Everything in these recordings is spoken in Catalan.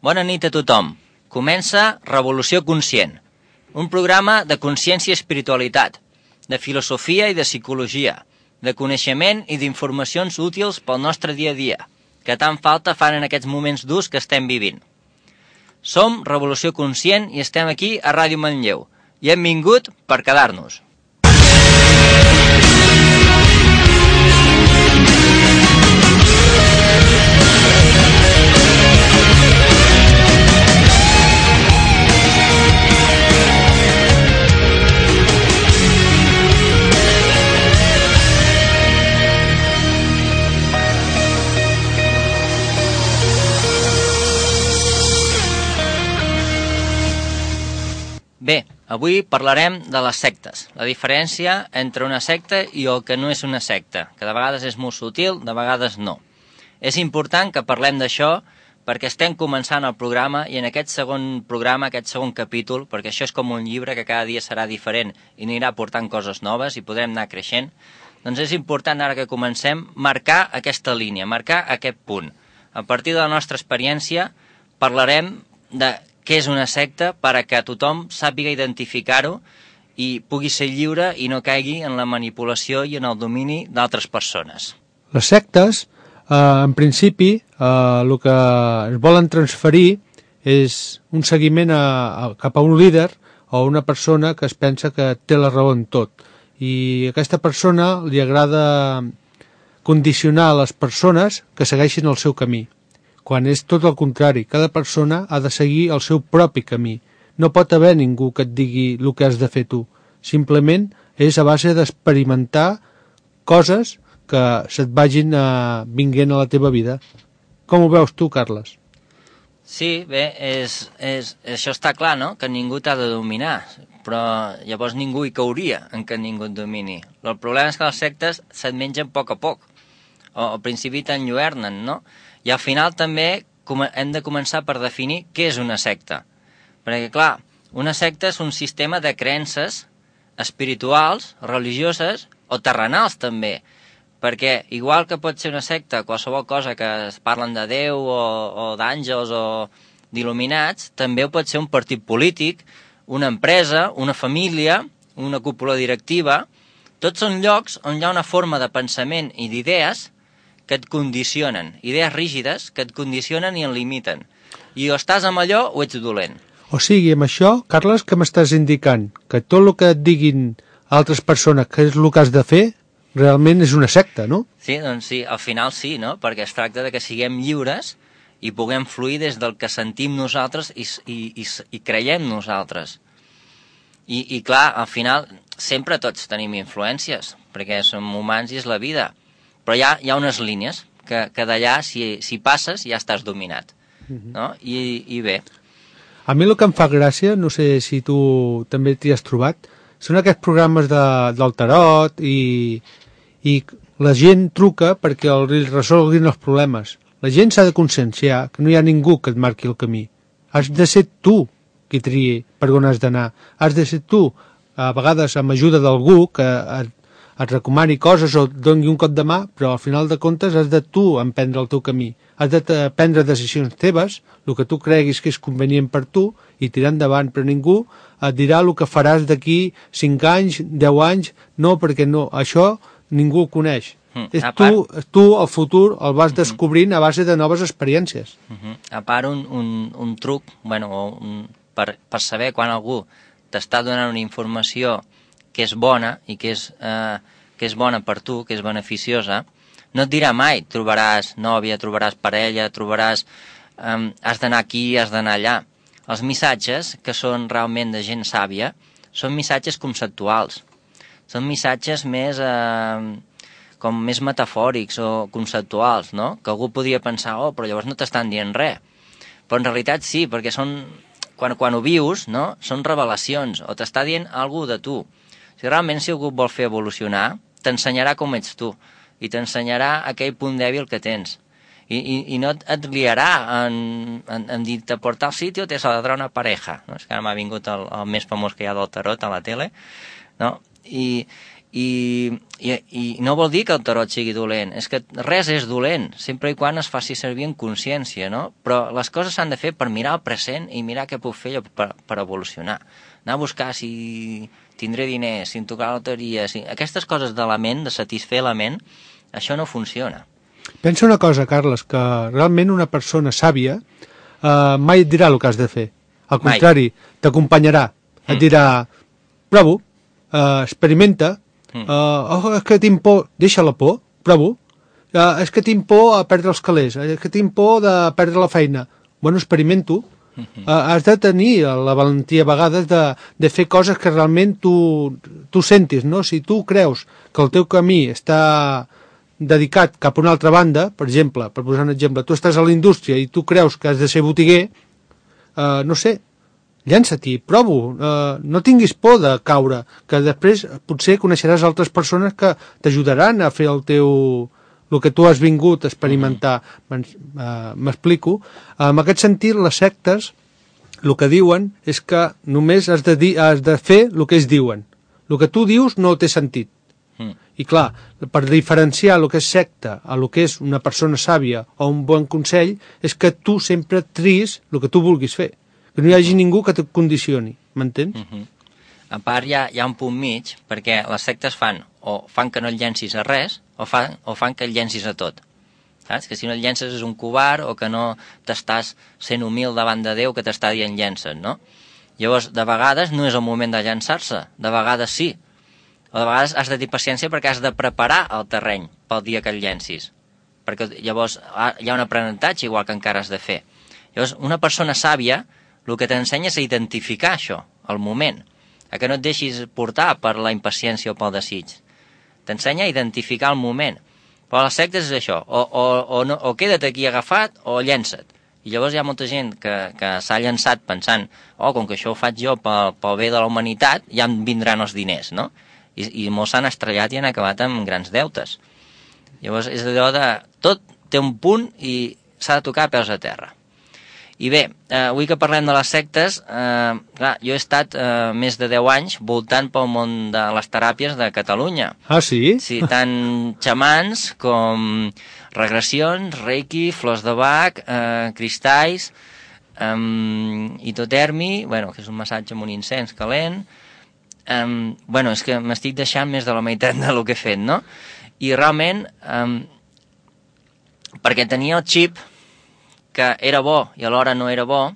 Bona nit a tothom. Comença Revolució Conscient, un programa de consciència i espiritualitat, de filosofia i de psicologia, de coneixement i d'informacions útils pel nostre dia a dia, que tant falta fan en aquests moments durs que estem vivint. Som Revolució Conscient i estem aquí a Ràdio Manlleu, i hem vingut per quedar-nos. Bé, avui parlarem de les sectes, la diferència entre una secta i el que no és una secta, que de vegades és molt sutil, de vegades no. És important que parlem d'això perquè estem començant el programa i en aquest segon programa, aquest segon capítol, perquè això és com un llibre que cada dia serà diferent i anirà portant coses noves i podrem anar creixent, doncs és important ara que comencem marcar aquesta línia, marcar aquest punt. A partir de la nostra experiència parlarem de què és una secta per a que tothom sàpiga identificar-ho i pugui ser lliure i no caigui en la manipulació i en el domini d'altres persones. Les sectes, en principi, el que es volen transferir és un seguiment cap a un líder o una persona que es pensa que té la raó en tot. I a aquesta persona li agrada condicionar les persones que segueixin el seu camí. Quan és tot el contrari, cada persona ha de seguir el seu propi camí. No pot haver ningú que et digui el que has de fer tu. Simplement és a base d'experimentar coses que se't vagin vinguent a la teva vida. Com ho veus tu, Carles? Sí, bé, això està clar, no?, que ningú t'ha de dominar, però llavors ningú hi cauria en que ningú et domini. El problema és que les sectes se't mengen a poc, o al principi t'enlluernen, no?, i al final també hem de començar per definir què és una secta. Perquè, clar, una secta és un sistema de creences espirituals, religioses o terrenals també. Perquè, igual que pot ser una secta qualsevol cosa que es parlen de Déu o d'àngels o d'il·luminats, també ho pot ser un partit polític, una empresa, una família, una cúpula directiva. Tots són llocs on hi ha una forma de pensament i d'idees que et condicionen, idees rígides que et condicionen i en limiten. I o estàs amb allò o ets dolent. O sigui, amb això, Carles, què m'estàs indicant? Que tot el que et diguin altres persones que és el que has de fer, realment és una secta, no? Sí, doncs sí, al final sí, no? Perquè es tracta de que siguem lliures i puguem fluir des del que sentim nosaltres i creiem nosaltres. I clar, al final, sempre tots tenim influències, perquè som humans i és la vida. Però hi ha unes línies que d'allà, si passes, ja estàs dominat. No? I bé. A mi el que em fa gràcia, no sé si tu també t'hi has trobat, són aquests programes del tarot i la gent truca perquè els resolguin els problemes. La gent s'ha de conscienciar que no hi ha ningú que et marqui el camí. Has de ser tu qui triï per on has d'anar. Has de ser tu, a vegades amb ajuda d'algú que et recomani coses o et doni un cop de mà, però al final de comptes has de tu emprendre el teu camí. Has de prendre decisions teves, el que tu creguis que és convenient per tu, i tirar endavant, però ningú et dirà el que faràs d'aquí 5 anys, 10 anys, no, perquè no, això ningú ho coneix. Tu, el futur, el vas descobrint a base de noves experiències. A part, un truc, per saber quan algú t'està donant una informació que és bona i que és bona per tu, que és beneficiosa, no et dirà mai trobaràs nòvia, trobaràs parella, has d'anar aquí, has d'anar allà. Els missatges, que són realment de gent sàvia, són missatges conceptuals. Són missatges més metafòrics o conceptuals, no? Que algú podria pensar, però llavors no t'estan dient res. Però en realitat sí, perquè quan ho vius, no? Són revelacions, o t'està dient alguna cosa de tu. Si realment algú et vol fer evolucionar, t'ensenyarà com ets tu i t'ensenyarà aquell punt dèbil que tens. I no et liarà en dir-te por tal sitio te saldrà una pareja. No? És que ara m'ha vingut el més famós que hi ha del tarot a la tele. No? I no vol dir que el tarot sigui dolent, és que res és dolent, sempre i quan es faci servir en consciència, no? Però les coses s'han de fer per mirar el present i mirar què puc fer jo per evolucionar. Anar a buscar si tindré diners, si em tocarà la loteria, aquestes coses de la ment, de satisfer la ment, això no funciona. Pensa una cosa, Carles, que realment una persona sàvia mai et dirà el que has de fer. Al contrari, t'acompanyarà. Et dirà, prova, experimenta, és que tinc por, deixa la por, prova, és que tinc por a perdre els calés, és que tinc por de perdre la feina. Bueno, experimento. Has de tenir la valentia a vegades de fer coses que realment tu sentis, no? Si tu creus que el teu camí està dedicat cap a una altra banda, per exemple, per posar un exemple, tu estàs a la indústria i tu creus que has de ser botiguer, no sé, llança-t'hi, prova, no tinguis por de caure, que després potser coneixeràs altres persones que t'ajudaran a fer el que tu has vingut a experimentar. M'explico? En aquest sentit, les sectes el que diuen és que només has de fer el que ells diuen. El que tu dius no té sentit. I clar, per diferenciar el que és secta a el que és una persona sàvia o un bon consell, és que tu sempre tris el que tu vulguis fer. Que no hi hagi ningú que et condicioni, m'entens? A part, hi ha un punt mig, perquè les sectes fan que no et llencis a res o fan que et llencis a tot. Saps? Que si no et llences és un covard o que no t'estàs sent humil davant de Déu que t'està dient llença't, no? Llavors, de vegades no és el moment de llançar-se, de vegades sí. O de vegades has de tenir paciència perquè has de preparar el terreny pel dia que el llencis. Perquè llavors hi ha un aprenentatge igual que encara has de fer. Llavors, una persona sàvia el que t'ensenya és a identificar això, el moment, a que no et deixis portar per la impaciència o pel desig. T'ensenya a identificar el moment. Però les sectes és això, o queda't aquí agafat o llença't. I llavors hi ha molta gent que s'ha llançat pensant com que això ho faig jo pel bé de la humanitat, ja em vindran els diners, no? I molts s'han estrellat i han acabat amb grans deutes. Llavors és allò de tot té un punt i s'ha de tocar a peus a terra. I bé, avui que parlem de les sectes, clar, jo he estat més de 10 anys voltant pel món de les teràpies de Catalunya. Ah, sí? Sí, tant xamans com regressions, reiki, flors de Bach, cristalls, hitotermi, que és un massatge amb un incens calent. És que m'estic deixant més de la meitat del que he fet, no? I realment, perquè tenia el xip que era bo i alhora no era bo,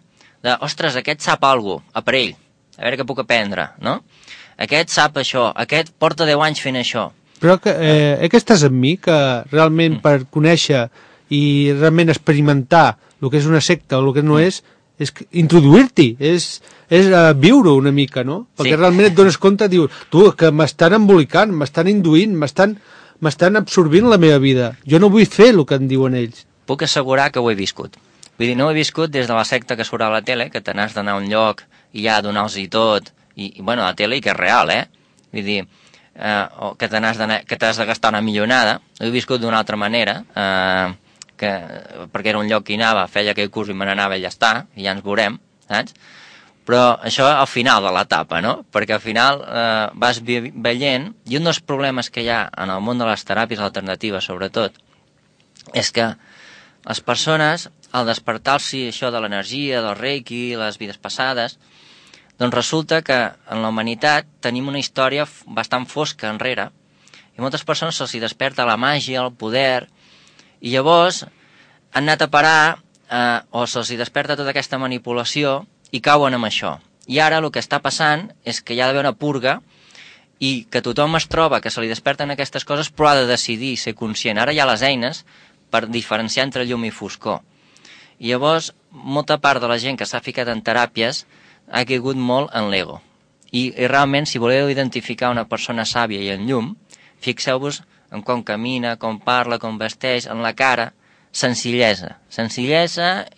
ostres, aquest sap alguna cosa, aparell, a veure què puc aprendre, no? Aquest sap això, aquest porta 10 anys fent això. Però que estàs amb mi, que realment per conèixer i realment experimentar el que és una secta o el que no és introduir-t'hi, és viure una mica, no? Perquè realment et dones compte, dius, tu, que m'estan embolicant, m'estan induint, m'estan absorbint la meva vida. Jo no vull fer el que em diuen ells. Puc assegurar que ho he viscut. Vull dir, no ho he viscut des de la secta que surt a la tele, que te n'has d'anar a un lloc i ja donar-los-hi tot, i a la tele i que és real, Vull dir, que t'has de gastar una millonada. Ho he viscut d'una altra manera, perquè era un lloc que hi anava, feia aquell curs i me n'anava i ja està, i ja ens veurem, saps? Però això al final de l'etapa, no? Perquè al final vas veient, i un dels problemes que hi ha en el món de les teràpies alternatives, sobretot, és que les persones, al despertar-s'hi això de l'energia, del reiki, les vides passades, doncs resulta que en la humanitat tenim una història bastant fosca enrere, i moltes persones se'ls desperta la màgia, el poder, i llavors han anat a parar, o se'ls desperta tota aquesta manipulació, i cauen amb això. I ara el que està passant és que hi ha d'haver una purga i que tothom es troba que se li desperten aquestes coses però ha de decidir ser conscient. Ara hi ha les eines per diferenciar entre llum i foscor. I llavors, molta part de la gent que s'ha ficat en teràpies ha caigut molt en l'ego. I realment, si voleu identificar una persona sàvia i en llum, fixeu-vos en com camina, com parla, com vesteix, en la cara, senzillesa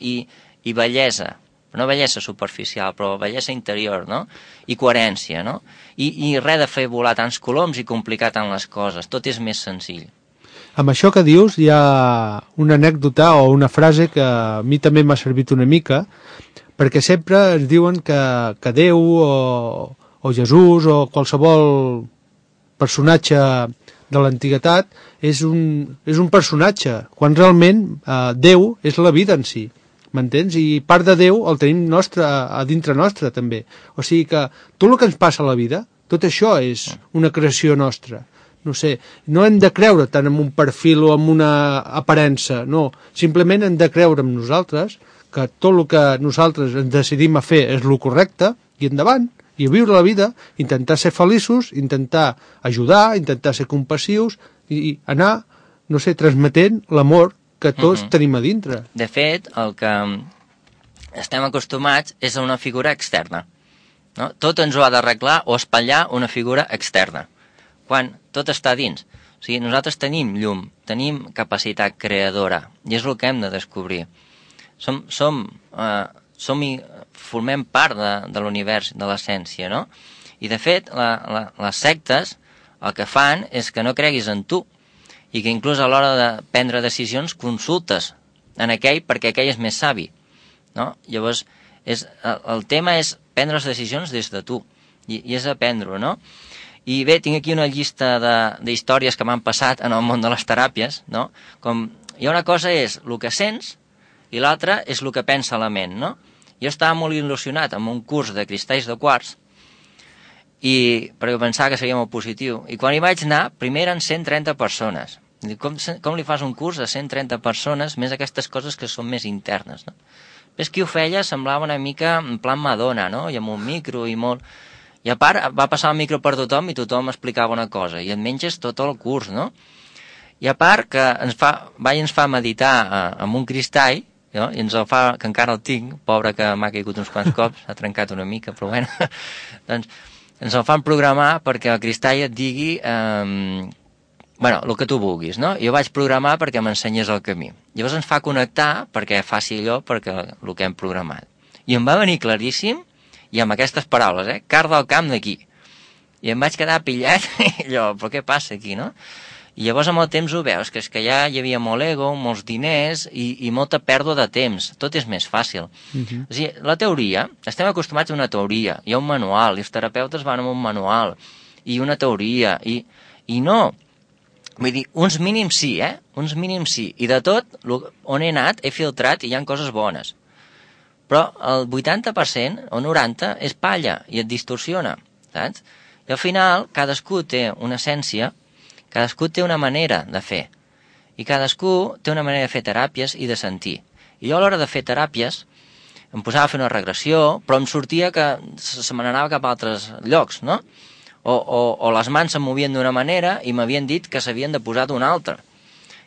i bellesa. No bellesa superficial, però bellesa interior, no? I coherència, no? I res de fer volar tants coloms i complicar tant les coses. Tot és més senzill. Amb això que dius hi ha una anècdota o una frase que a mi també m'ha servit una mica, perquè sempre ens diuen que Déu o Jesús o qualsevol personatge de l'antiguitat és un personatge, quan realment Déu és la vida en si, m'entens? I part de Déu el tenim nostre, a dintre nostre també. O sigui que tot el que ens passa a la vida, tot això és una creació nostra. No sé, no hem de creure tant en un perfil o en una aparença, no. Simplement hem de creure en nosaltres, que tot el que nosaltres ens decidim a fer és el correcte, i endavant, i a viure la vida, intentar ser feliços, intentar ajudar, intentar ser compassius, i anar, no sé, transmetent l'amor que tots tenim a dintre. De fet, el que estem acostumats és a una figura externa. No? Tot ens ho ha d'arreglar o espatllar una figura externa, quan tot està dins. O sigui, nosaltres tenim llum, tenim capacitat creadora, i és el que hem de descobrir. Formem part de l'univers, de l'essència, no? I, de fet, les sectes el que fan és que no creguis en tu, i que inclús a l'hora de prendre decisions consultes en aquell perquè aquell és més savi, no? Llavors, el tema és prendre les decisions des de tu, i és aprendre-ho, no? I bé, tinc aquí una llista d'històries que m'han passat en el món de les teràpies, no? Com hi ha una cosa és el que sents i l'altra és el que pensa la ment, no? Jo estava molt il·lusionat amb un curs de cristalls de quars perquè pensava que seria molt positiu. I quan hi vaig anar, primer eren 130 persones. Com li fas un curs a 130 persones, més aquestes coses que són més internes, no? Ves qui ho feia semblava una mica en plan Madonna, no? I amb un micro i molt... I a part, va passar el micro per tothom i tothom explicava una cosa, i et menges tot el curs, no? I a part que ens fa meditar amb un cristall, no? I ens el fa, que encara el tinc, pobre que m'ha caigut uns quants cops, s'ha trencat una mica, però bueno, doncs ens el fan programar perquè el cristall et digui el que tu vulguis, no? Jo vaig programar perquè m'ensenyés el camí. Llavors ens fa connectar perquè faci allò perquè el que hem programat. I em va venir claríssim, i amb aquestes paraules, car del camp d'aquí. I em vaig quedar pillat, i allò, però què passa aquí, no? I llavors amb el temps ho veus, que és que ja hi havia molt ego, molts diners i molta pèrdua de temps. Tot és més fàcil. O sigui, la teoria, estem acostumats a una teoria, hi ha un manual, i els terapeutes van amb un manual, i una teoria, i no. Vull dir, uns mínims sí, uns mínims sí. I de tot, on he anat, he filtrat i hi ha coses bones. Però el 80% o 90% és palla i et distorsiona, saps? I al final, cadascú té una essència, cadascú té una manera de fer, i cadascú té una manera de fer teràpies i de sentir. I jo a l'hora de fer teràpies em posava a fer una regressió, però em sortia que se me n'anava cap a altres llocs, no? O les mans se'm movien d'una manera i m'havien dit que s'havien de posar d'una altra.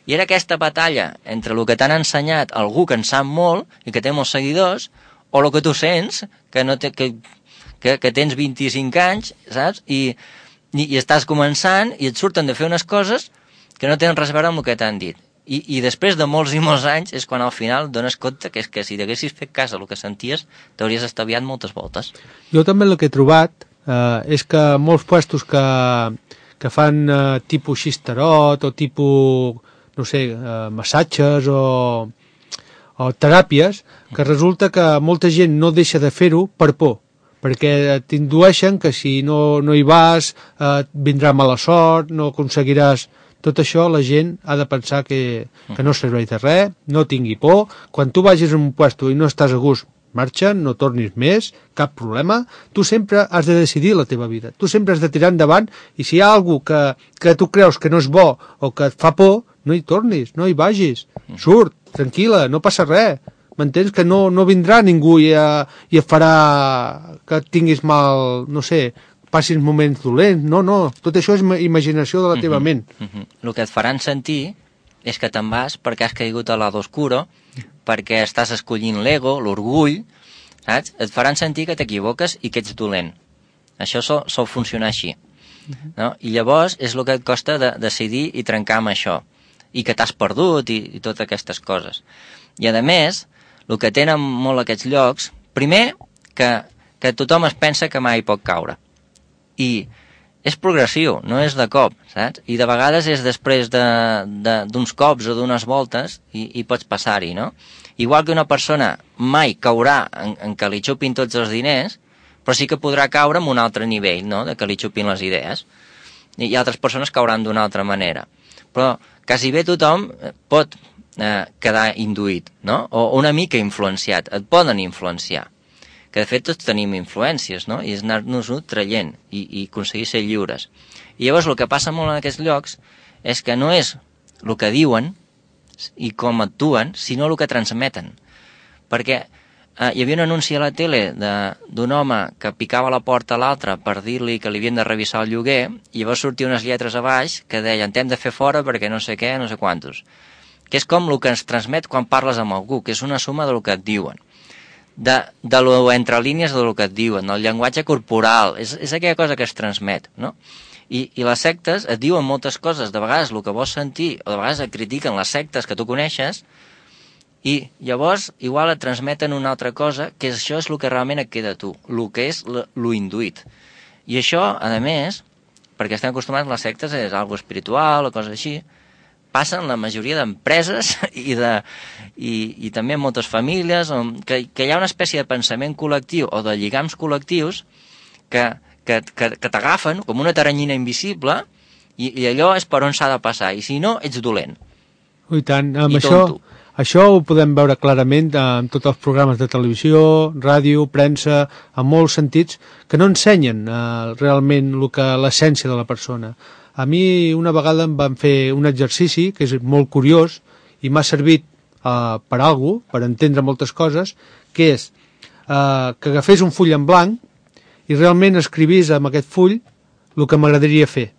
I era aquesta batalla entre el que t'han ensenyat algú que en sap molt i que té molts seguidors, o el que tu sents, que tens 25 anys, saps? I estàs començant i et surten de fer unes coses que no tenen res a veure amb el que t'han dit. I després de molts i molts anys és quan al final dones compte que és que si t'haguessis fet cas del que senties t'hauries estalviat moltes voltes. Jo també el que he trobat és que molts puestos que fan tipus xisterot o tipus, no sé, massatges o teràpies, que resulta que molta gent no deixa de fer-ho per por, perquè t'indueixen que si no hi vas vindrà mala sort, no aconseguiràs. Tot això la gent ha de pensar que no serveix de res, no tingui por. Quan tu vagis a un puesto i no estàs a gust, marxa, no tornis més, cap problema. Tu sempre has de decidir la teva vida, tu sempre has de tirar endavant, i si hi ha algú que tu creus que no és bo o que et fa por, no hi tornis, no hi vagis, surt, tranquil·la, no passa res. M'entens? Que no vindrà ningú i et farà que tinguis mal, no sé, passis moments dolents. No, tot això és imaginació de la teva ment. El que et faran sentir és que te'n vas perquè has caigut a l'ado oscuro, perquè estàs escollint l'ego, l'orgull, saps? Et faran sentir que t'equivoques i que ets dolent. Això sol funcionar així. No? I llavors és el que et costa de decidir i trencar amb això, i que t'has perdut i totes aquestes coses. I a més, el que tenen molt aquests llocs, primer, que tothom es pensa que mai pot caure. I és progressiu, no és de cop, saps? I de vegades és després d'uns cops o d'unes voltes i pots passar-hi, no? Igual que una persona mai caurà en que li xupin tots els diners, però sí que podrà caure en un altre nivell, no?, de que li xupin les idees. i altres persones cauran d'una altra manera. Però quasi bé tothom pot quedar induït, no? O una mica influenciat, et poden influenciar, que de fet tots tenim influències, no? I és anar-nos-ho traient i aconseguir ser lliures. I llavors el que passa molt en aquests llocs és que no és el que diuen i com actuen, sinó el que transmeten. Perquè hi havia un anunci a la tele d'un home que picava la porta a l'altre per dir-li que li havien de revisar el lloguer, i llavors sortia unes lletres a baix que deien t'hem de fer fora perquè no sé què, no sé quantos. Que és com el que ens transmet quan parles amb algú, que és una suma del que et diuen. De lo entre línies del que et diuen, el llenguatge corporal, és aquella cosa que es transmet, no? I les sectes et diuen moltes coses, de vegades el que vols sentir, o de vegades et critiquen les sectes que tu coneixes, i llavors igual et transmeten una altra cosa, que això és el que realment et queda a tu, el que és lo induït. I això, a més, perquè estem acostumats a les sectes, és algo espiritual o coses així, passa en la majoria d'empreses i també en moltes famílies, que hi ha una espècie de pensament col·lectiu o de lligams col·lectius que t'agafen com una taranyina invisible i allò és per on s'ha de passar, i si no, ets dolent. I tant, amb I tonto. Això ho podem veure clarament en tots els programes de televisió, ràdio, premsa, en molts sentits, que no ensenyen realment l'essència de la persona. A mi una vegada em van fer un exercici que és molt curiós i m'ha servit per alguna cosa, per entendre moltes coses, que és que agafés un full en blanc i realment escrivís amb aquest full el que m'agradaria fer,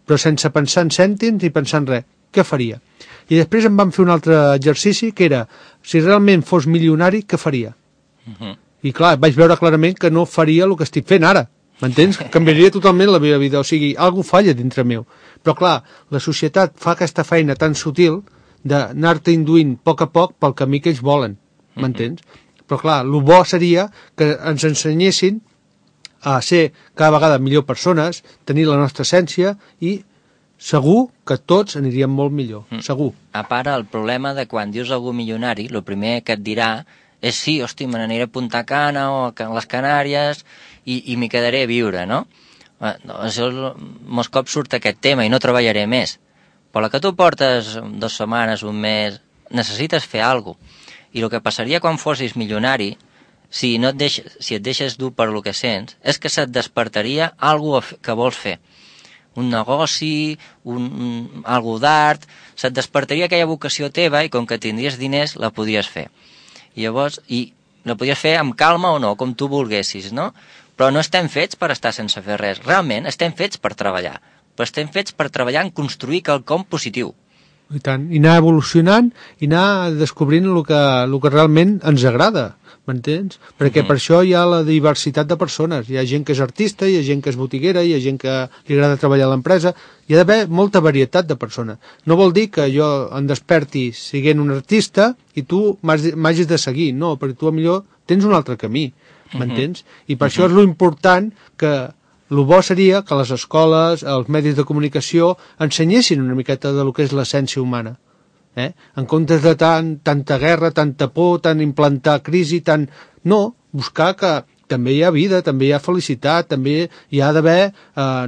però sense pensar en cèntims ni pensar en res. Què faria? I després em van fer un altre exercici que era, si realment fos milionari, què faria? I clar, vaig veure clarament que no faria el que estic fent ara, m'entens? Canviaria totalment la meva vida, o sigui, alguna falla dintre meu. Però clar, la societat fa aquesta feina tan sutil d'anar-te induint a poc pel camí que ells volen, m'entens? Però clar, el bo seria que ens ensenyessin a ser cada vegada millor persones, tenir la nostra essència i segur que tots aniríem molt millor, segur. A part, el problema de quan dius algú milionari, el primer que et dirà és sí, hosti, me n'aniré a Punta Cana o a les Canàries i m'hi quedaré a viure, no? Això, molts cops surt aquest tema i no treballaré més. Però la que tu portes 2 setmanes, un mes, necessites fer alguna cosa. I el que passaria quan fossis milionari, si et deixes dur per el que sents, és que se't despertaria alguna cosa que vols fer. Un negoci, algo d'art, se't despertaria aquella vocació teva i com que tindries diners la podries fer. I llavors, la podries fer amb calma o no, com tu volguessis, no? Però no estem fets per estar sense fer res. Realment estem fets per treballar. Però estem fets per treballar en construir quelcom positiu. I tant, i anar evolucionant i anar descobrint el que realment ens agrada, m'entens? Perquè per això hi ha la diversitat de persones. Hi ha gent que és artista, hi ha gent que és botiguera, hi ha gent que li agrada treballar a l'empresa. Hi ha d'haver molta varietat de persones. No vol dir que jo em desperti siguent un artista i tu m'hagis de seguir. No, perquè tu millor tens un altre camí, m'entens? I per això és lo important que el bo seria que les escoles, els medis de comunicació ensenyessin una miqueta de lo que és l'essència humana. En comptes de tanta guerra, tanta por, tant implantar crisi, no, buscar que també hi ha vida, també hi ha felicitat, també hi ha d'haver,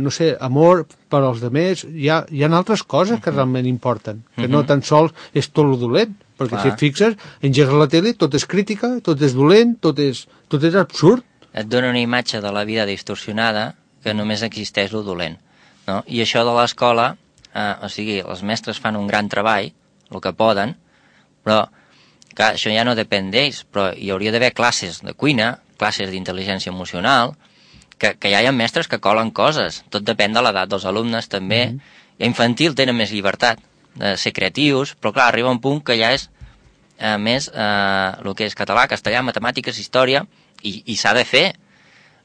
no sé, amor per als altres, hi ha altres coses que realment importen, que no tan sols és tot lo dolent, perquè si et fixes, engegues la tele, tot és crítica, tot és dolent, tot és absurd. Et dona una imatge de la vida distorsionada que només existeix lo dolent, no? I això de l'escola, o sigui, els mestres fan un gran treball, el que poden, però clar, això ja no depèn d'ells, però hi hauria d'haver classes de cuina, classes d'intel·ligència emocional, que ja hi ha mestres que colen coses, tot depèn de l'edat dels alumnes també, i a infantil tenen més llibertat de ser creatius, però clar, arriba un punt que ja és més el que és català, castellà, matemàtiques, història, i s'ha de fer.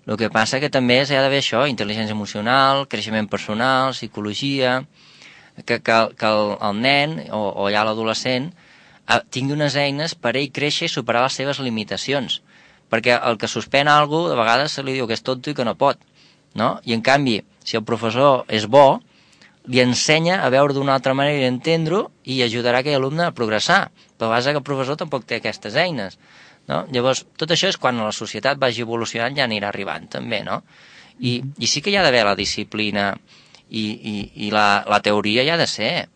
El que passa que també s'ha d'haver això, intel·ligència emocional, creixement personal, psicologia, que el nen o ja l'adolescent tingui unes eines per ell créixer i superar les seves limitacions. Perquè el que suspèn alguna cosa, de vegades se li diu que és tonto i que no pot, no? I en canvi, si el professor és bo, li ensenya a veure d'una altra manera i entendre-ho i ajudarà aquell alumne a progressar. Però a vegades que el professor tampoc té aquestes eines, no? Llavors, tot això és quan la societat vagi evolucionant ja anirà arribant també, no? I sí que hi ha d'haver la disciplina i la teoria hi ha de ser,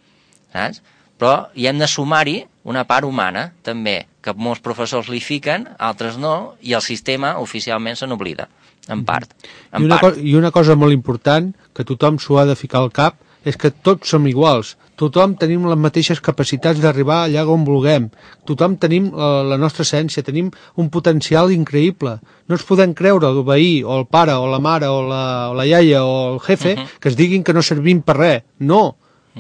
saps? Però hi hem de sumar-hi una part humana, també, que molts professors li fiquen, altres no, i el sistema oficialment se n'oblida, en part. I una cosa molt important, que tothom s'ho ha de ficar al cap, és que tots som iguals. Tothom tenim les mateixes capacitats d'arribar allà on vulguem. Tothom tenim la nostra essència, tenim un potencial increïble. No ens podem creure el veí, o el pare, o la mare, o la iaia, o el jefe, que es diguin que no servim per res. No,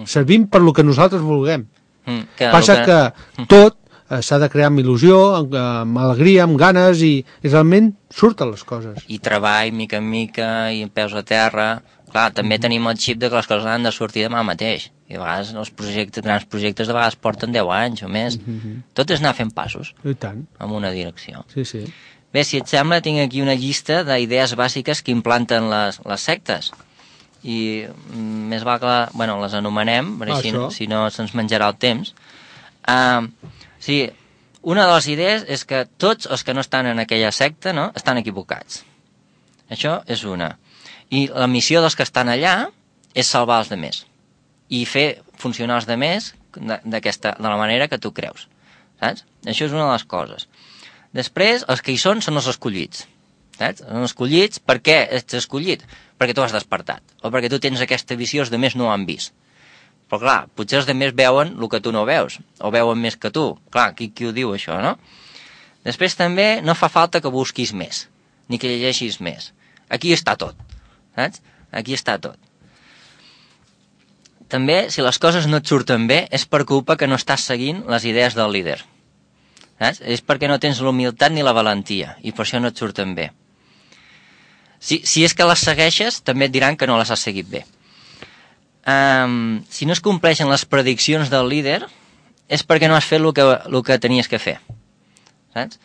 servim per lo que nosaltres vulguem. Passa que tot s'ha de crear amb il·lusió, amb alegria, amb ganes, i realment surten les coses. I treball, mica en mica, i peus a terra. Clar, també tenim el xip de que les coses han de sortir demà mateix. I a vegades els grans projectes de vegades porten 10 anys o més. Tot és anar fent passos. I tant. En una direcció. Sí, sí. Bé, si et sembla, tinc aquí una llista d'idees bàsiques que implanten les sectes. I més val que les anomenem, perquè si no se'ns menjarà el temps. Sí, una de les idees és que tots els que no estan en aquella secta, no, estan equivocats. Això és una. I la missió dels que estan allà és salvar els demés i fer funcionar els demés de la manera que tu creus, saps? Això és una de les coses. Després, els que hi són els escollits, saps? Són escollits. Per què ets escollit? Perquè tu has despertat, o perquè tu tens aquesta visió, els demés no ho han vist. Però clar, potser els demés veuen el que tu no veus, o veuen més que tu. Clar, qui ho diu això, no? Després també no fa falta que busquis més, ni que llegeixis més. Aquí està tot. Saps? Aquí està tot. També, si les coses no et surten bé, és per culpa que no estàs seguint les idees del líder. Saps? És perquè no tens l'humilitat ni la valentia, i per això no et surten bé. Si és que les segueixes, també et diran que no les has seguit bé. Si no es compleixen les prediccions del líder, és perquè no has fet el que tenies que fer. Saps?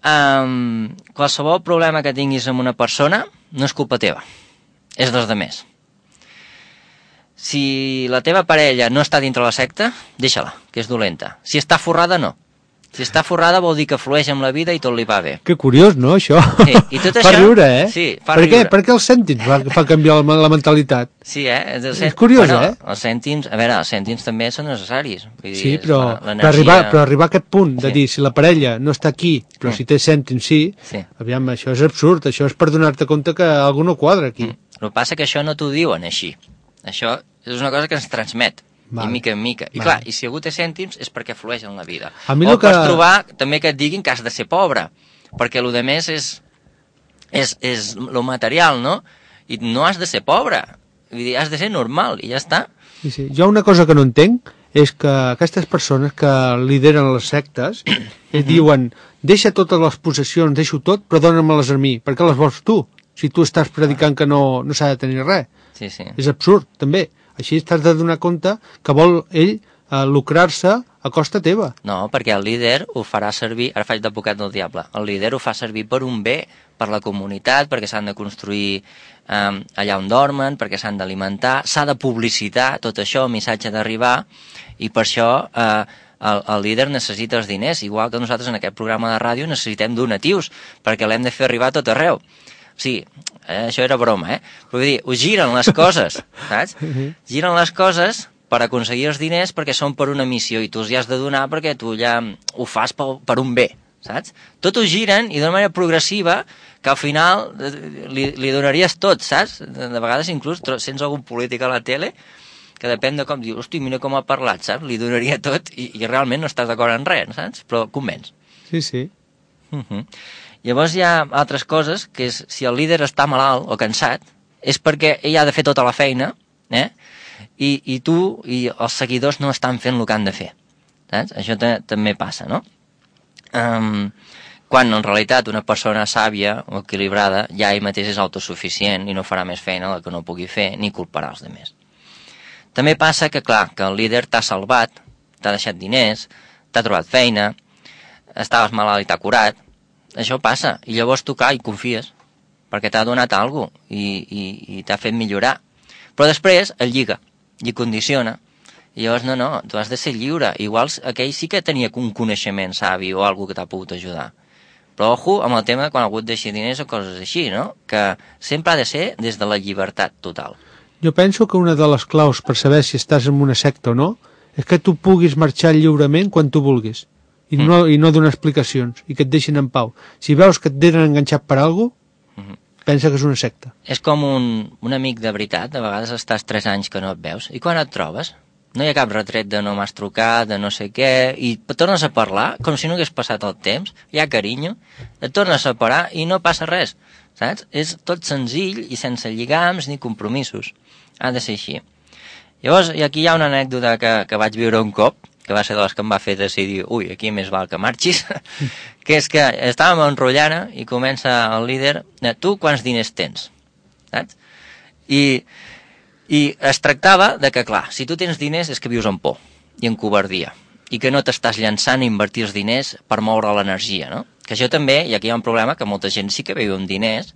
Qualsevol problema que tinguis amb una persona no és culpa teva, és dels demés. Si la teva parella no està dintre la secta, deixa-la, que és dolenta. Si està forrada, no. Si està forrada vol dir que flueix amb la vida i tot li va bé. Que curiós, no, això? Sí, i tot això... Fa riure, eh? Sí, fa riure. Per què els cèntims fa canviar la mentalitat? Sí, És curiós, Els cèntims, a veure, els cèntims també són necessaris. Vull dir, sí, però arribar a aquest punt de dir, si la parella no està aquí, però si té cèntims sí, aviam, això és absurd, això és per donar-te compte que algú no quadra aquí. El que passa que això no t'ho diuen així. Això és una cosa que ens transmet. I mica en mica. I clar, i si algú té cèntims és perquè flueix en la vida. O pots trobar també que et diguin que has de ser pobre, perquè el més és lo material, no? I no has de ser pobre. Vull dir, has de ser normal i ja està. Sí. Jo una cosa que no entenc és que aquestes persones que lideren les sectes diuen, deixa totes les possessions, deixo tot, però dóna-me-les a mi. Per què les vols tu? Si tu estàs predicant que no s'ha de tenir res. Sí. És absurd, també. Així t'has de donar compte que vol ell lucrar-se a costa teva. No, perquè el líder ho farà servir, ara faig d'advocat del diable, el líder ho fa servir per un bé, per la comunitat, perquè s'han de construir allà on dormen, perquè s'han d'alimentar, s'ha de publicitar tot això, el missatge d'arribar, i per això el líder necessita els diners, igual que nosaltres en aquest programa de ràdio necessitem donatius, perquè l'hem de fer arribar a tot arreu. Sí, això era broma, però vull dir, ho giren les coses, saps? Giren les coses per aconseguir els diners perquè són per una missió i tu els hi has de donar perquè tu ja ho fas per un bé, saps? Tot ho giren i d'una manera progressiva que al final li donaries tot, saps? De vegades inclús sents algun polític a la tele que depèn de com diu, hosti, mira com ha parlat, saps? Li donaria tot i realment no estàs d'acord en res, saps? Però convenç. Sí. Llavors hi ha altres coses, que és si el líder està malalt o cansat, és perquè ell ha de fer tota la feina, i tu i els seguidors no estan fent el que han de fer. Saps? Això també passa, no? Quan en realitat una persona sàvia o equilibrada ja ell mateix és autosuficient i no farà més feina la que no pugui fer ni culparà els demés. També passa que, clar, que el líder t'ha salvat, t'ha deixat diners, t'ha trobat feina, estaves malalt i t'ha curat. Això passa, i llavors tu i confies, perquè t'ha donat alguna cosa i t'ha fet millorar. Però després el lliga i condiciona, i llavors no, tu has de ser lliure. Igual aquell sí que tenia un coneixement savi o alguna que t'ha pogut ajudar. Però ojo amb el tema de quan ha hagut de deixar diners o coses així, no? Que sempre ha de ser des de la llibertat total. Jo penso que una de les claus per saber si estàs en una secta o no és que tu puguis marxar lliurement quan tu vulguis i no donar explicacions i que et deixin en pau. Si veus que et tenen enganxat per alguna cosa, pensa que és una secta. És com un amic de veritat, a vegades estàs 3 anys que no et veus, i quan et trobes no hi ha cap retret de no m'has trucat, de no sé què, i tornes a parlar com si no hagués passat el temps, hi ha carinyo, et tornes a parar i no passa res, saps? És tot senzill i sense lligams ni compromisos. Ha de ser així. Llavors, i aquí hi ha una anècdota que vaig viure un cop, que va ser de les que em va fer decidir, ui, aquí més val que marxis, que és que estàvem enrotllant i comença el líder, tu quants diners tens? Saps? I es tractava de que, clar, si tu tens diners és que vius en por i en covardia i que no t'estàs llançant a invertir els diners per moure l'energia, no? Que això també, i aquí hi ha un problema, que molta gent sí que viu amb diners,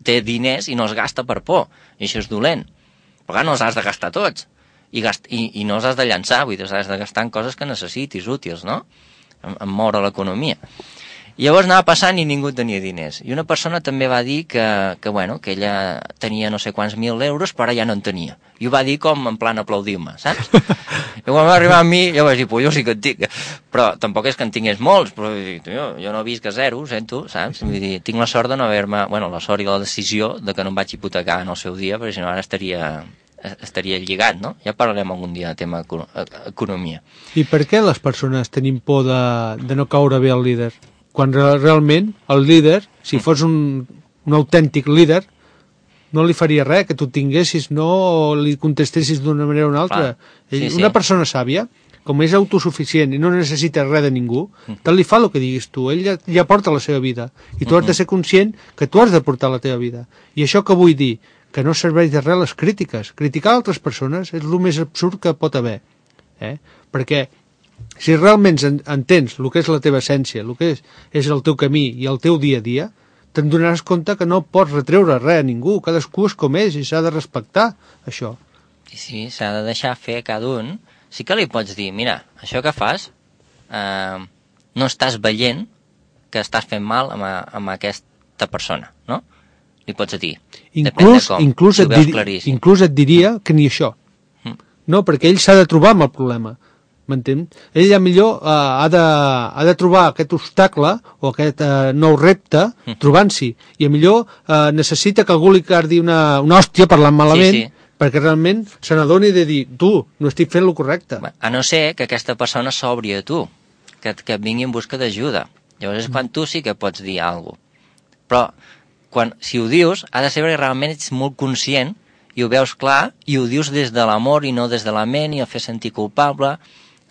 té diners i no els gasta per por, i això és dolent. Però clar, no els has de gastar tots i no els has de llançar, vull dir, els has de gastar en coses que necessitis, útils, no? En moure l'economia. I llavors anava passant i ningú tenia diners. I una persona també va dir que ella tenia no sé quants 1.000 euros, però ara ja no en tenia. I ho va dir com en plan aplaudir-me, saps? I quan va arribar a mi, jo vaig dir, jo sí que en tinc. Però tampoc és que en tingués molts, però jo no visc a zero, sento, saps? Vull dir, tinc la sort de no haver-me... Bueno, la sort i la decisió de que no em vaig hipotecar en el seu dia, perquè si no ara estaria lligat, no? Ja parlarem algun dia de tema economia. I per què les persones tenim por de no caure bé al líder? Quan realment el líder, si fos un autèntic líder, no li faria res que tu tinguessis, no li contestessis d'una manera o una altra. Una persona sàvia, com és autosuficient i no necessita res de ningú, tant li fa el que diguis tu, ell ja porta la seva vida, i tu has de ser conscient que tu has de portar la teva vida. I això que vull dir, que no serveix de res les crítiques. Criticar altres persones és el més absurd que pot haver. Perquè si realment entens el que és la teva essència, el que és el teu camí i el teu dia a dia, te'n donaràs compte que no pots retreure res a ningú, cadascú és com és i s'ha de respectar això. Sí, s'ha de deixar fer a cada un. Sí que li pots dir, mira, això que fas no estàs veient que estàs fent mal amb aquesta persona, no? Li pots dir, depèn de com, si ho veus claríssim. Inclús et diria que ni això. No, perquè ell s'ha de trobar amb el problema. M'entens? Ell ja millor ha de trobar aquest obstacle o aquest nou repte trobant-s'hi, i millor necessita que algú li cardi una hòstia parlant malament, perquè realment se n'adoni de dir, tu, no estic fent el correcte. A no ser que aquesta persona s'obri a tu, que et vingui en busca d'ajuda. Llavors és quan tu sí que pots dir alguna cosa. Però si ho dius, ha de ser perquè realment ets molt conscient i ho veus clar i ho dius des de l'amor i no des de la ment i el fer sentir culpable.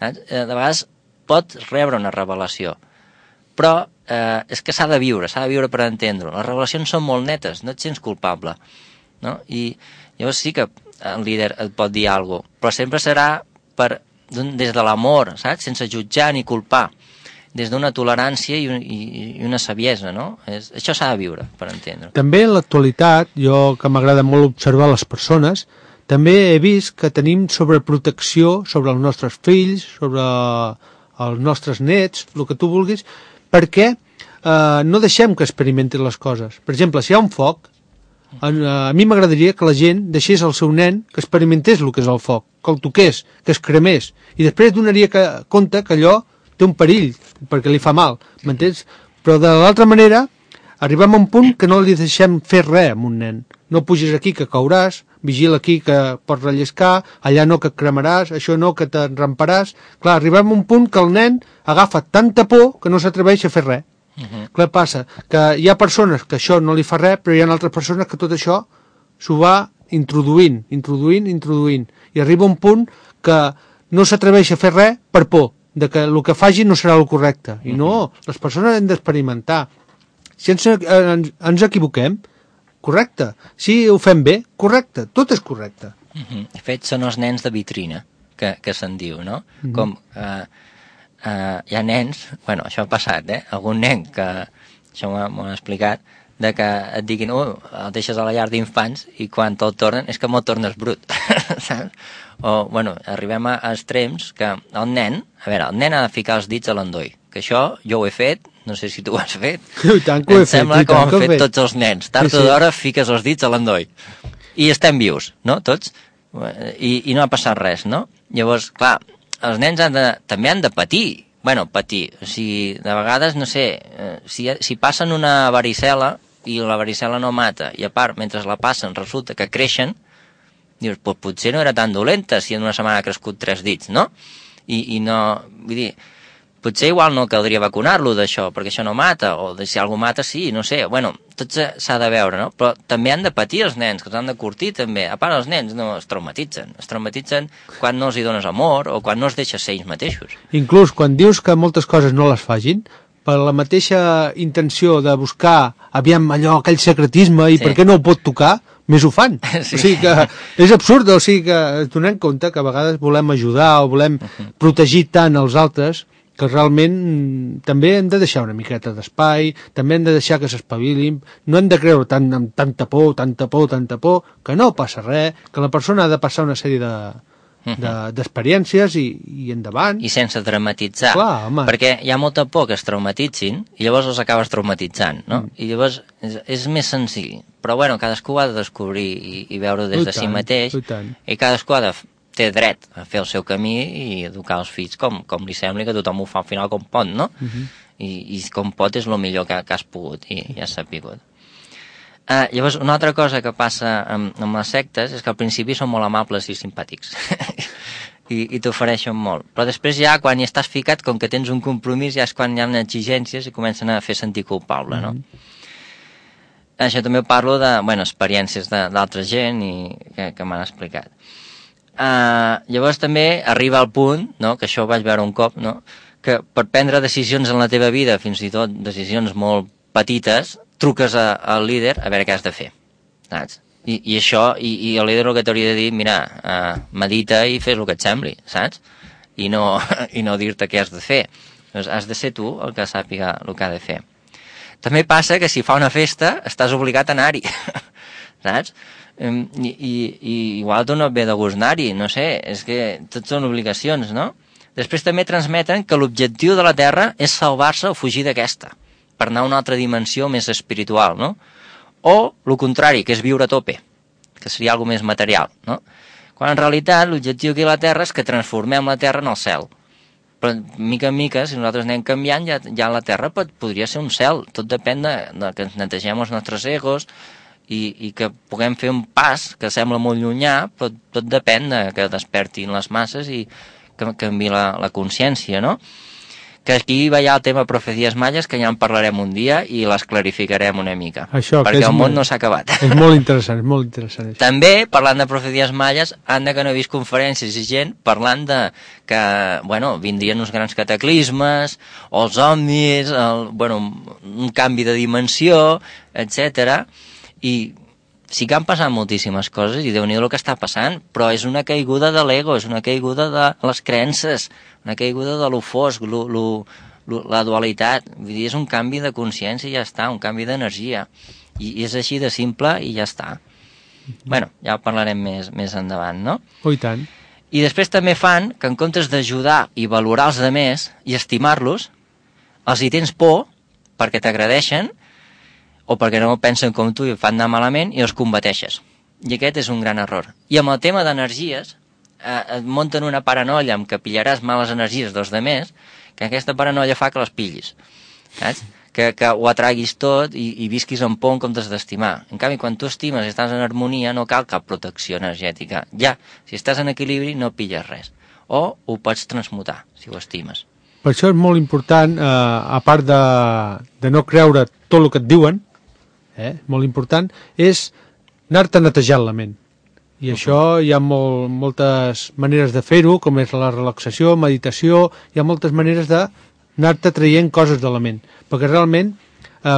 De vegades pot rebre una revelació, però és que s'ha de viure per entendre-ho. Les revelacions són molt netes, no et sents culpable, no? I llavors sí que el líder et pot dir alguna cosa, però sempre serà des de l'amor, saps? Sense jutjar ni culpar, des d'una tolerància i una saviesa, no? Això s'ha de viure per entendre-ho. També en l'actualitat, jo que m'agrada molt observar les persones, també he vist que tenim sobreprotecció sobre els nostres fills, sobre els nostres nets, el que tu vulguis, perquè no deixem que experimentin les coses. Per exemple, si hi ha un foc, a mi m'agradaria que la gent deixés al seu nen que experimentés el que és el foc, que el toqués, que es cremés, i després donaria compte que allò té un perill, perquè li fa mal, m'entens? Però de l'altra manera, arribem a un punt que no li deixem fer res a un nen. No pugis aquí que cauràs, vigila aquí que pots relliscar, allà no que et cremaràs, això no que t'enramparàs. Clar, arribem a un punt que el nen agafa tanta por que no s'atreveix a fer res. Clar, passa que hi ha persones que això no li fa res, però hi ha altres persones que tot això s'ho va introduint, i arriba un punt que no s'atreveix a fer res per por, de que el que faci no serà el correcte. I no, les persones han d'experimentar. Si ens equivoquem, correcte. Si ho fem bé, correcte. Tot és correcte. De fet, són els nens de vitrina, que se'n diu, no? Com hi ha nens, bueno, això ha passat, algun nen que, això m'ho han explicat, de que et diguin, el deixes a la llar d'infants i quan te'l tornen és que me'l tornes brut, saps? O, bueno, arribem a extrems que el nen ha de ficar els dits a l'endoll, que això jo ho he fet, no sé si tu ho has fet. I tant que ho he fet. Em sembla que ho han fet tots els nens. Tard o d'hora fiques els dits a l'endoll. i estem vius, no?, tots, i no ha passat res, no? Llavors, clar, els nens també han de patir, patir, o sigui, de vegades, no sé, si passen una varicel·la i la varicel·la no mata, i a part, mentre la passen, resulta que creixen, dius, potser no era tan dolenta si en una setmana ha crescut 3 dits, no? I no, vull dir, potser igual no caldria vacunar-lo d'això, perquè això no mata, o si algú mata, sí, no sé, tot s'ha de veure, no? Però també han de patir els nens, que els han de curtir també. A part, els nens no es traumatitzen quan no els hi dones amor o quan no es deixa ser ells mateixos. Inclús quan dius que moltes coses no les facin, per la mateixa intenció de buscar, aviam, aquell secretisme i per què no ho pot tocar, més ho fan. Sí. O sigui que és absurd, o sigui que donem compte que a vegades volem ajudar o volem protegir tant els altres que realment també hem de deixar una miqueta d'espai, també hem de deixar que s'espavilin, no hem de creure amb tanta por, que no passa res, que la persona ha de passar una sèrie d'experiències i endavant. I sense dramatitzar. Clar, home. Perquè hi ha molta por que es traumatitzin i llavors els acabes traumatitzant, no? I llavors és més senzill. Però cadascú ha de descobrir i veure des de si mateix, i cadascú té dret a fer el seu camí i educar els fills com li sembli, que tothom ho fa al final com pot, no? I com pot és el millor que has pogut i has sapigut. Llavors, una altra cosa que passa amb les sectes és que al principi són molt amables i simpàtics i t'ofereixen molt, però després ja quan hi estàs ficat, com que tens un compromís, ja és quan hi ha exigències i comencen a fer sentir culpable, no? Això també parlo de, experiències d'altra gent que m'han explicat. Llavors també arriba al punt, no?, que això ho vaig veure un cop, no?, que per prendre decisions en la teva vida, fins i tot decisions molt petites, truques al líder a veure què has de fer, saps? I això, i el líder el que t'hauria de dir, mira, medita i fes el que et sembli, saps? I no dir-te què has de fer. Doncs has de ser tu el que sàpiga el que ha de fer. També passa que si fa una festa estàs obligat a anar-hi, saps? I igual tu no et ve de gust anar-hi, no sé, és que tot són obligacions, no? Després també transmeten que l'objectiu de la Terra és salvar-se o fugir d'aquesta, per anar a una altra dimensió més espiritual, no? O el contrari, que és viure a tope, que seria alguna més material, no? Quan en realitat l'objectiu aquí a la Terra és que transformem la Terra en el cel. Però mica en mica, si nosaltres anem canviant, ja la Terra podria ser un cel. Tot depèn de que ens netegem els nostres egos i que puguem fer un pas que sembla molt llunyà, però tot depèn de que despertin les masses i que canvi la consciència, no? Que aquí va ja el tema profecies mayas, que ja en parlarem un dia i les clarificarem una mica, perquè el món no s'ha acabat. És molt interessant, és molt interessant. També, parlant de profecies mayas, anda que no he vist conferències i gent parlant de que, vindrien uns grans cataclismes, o els ovnis, un canvi de dimensió, etc. I sí que han passat moltíssimes coses i Déu-n'hi-do el que està passant, però és una caiguda de l'ego, és una caiguda de les creences, una caiguda de lo fosc, la dualitat. Vull dir, és un canvi de consciència i ja està, un canvi d'energia. I és així de simple i ja està. Ja ho parlarem més endavant, no? Oh, i tant. I després també fan que en comptes d'ajudar i valorar els altres i estimar-los, els hi tens por perquè t'agradeixen o perquè no pensen com tu i et fan anar malament i els combateixes. I aquest és un gran error. I amb el tema d'energies, et munten una paranoia amb que pillaràs males energies dels altres, que aquesta paranoia fa que les pillis, saps? Que ho atraguis tot i visquis en por en comptes d'estimar. En canvi, quan tu estimes i estàs en harmonia, no cal cap protecció energètica. Ja, si estàs en equilibri, no pilles res. O ho pots transmutar, si ho estimes. Per això és molt important, a part de no creure tot el que et diuen, molt important, és anar-te netejant la ment. I això hi ha moltes maneres de fer-ho, com és la relaxació, meditació, hi ha moltes maneres d'anar-te traient coses de la ment. Perquè realment,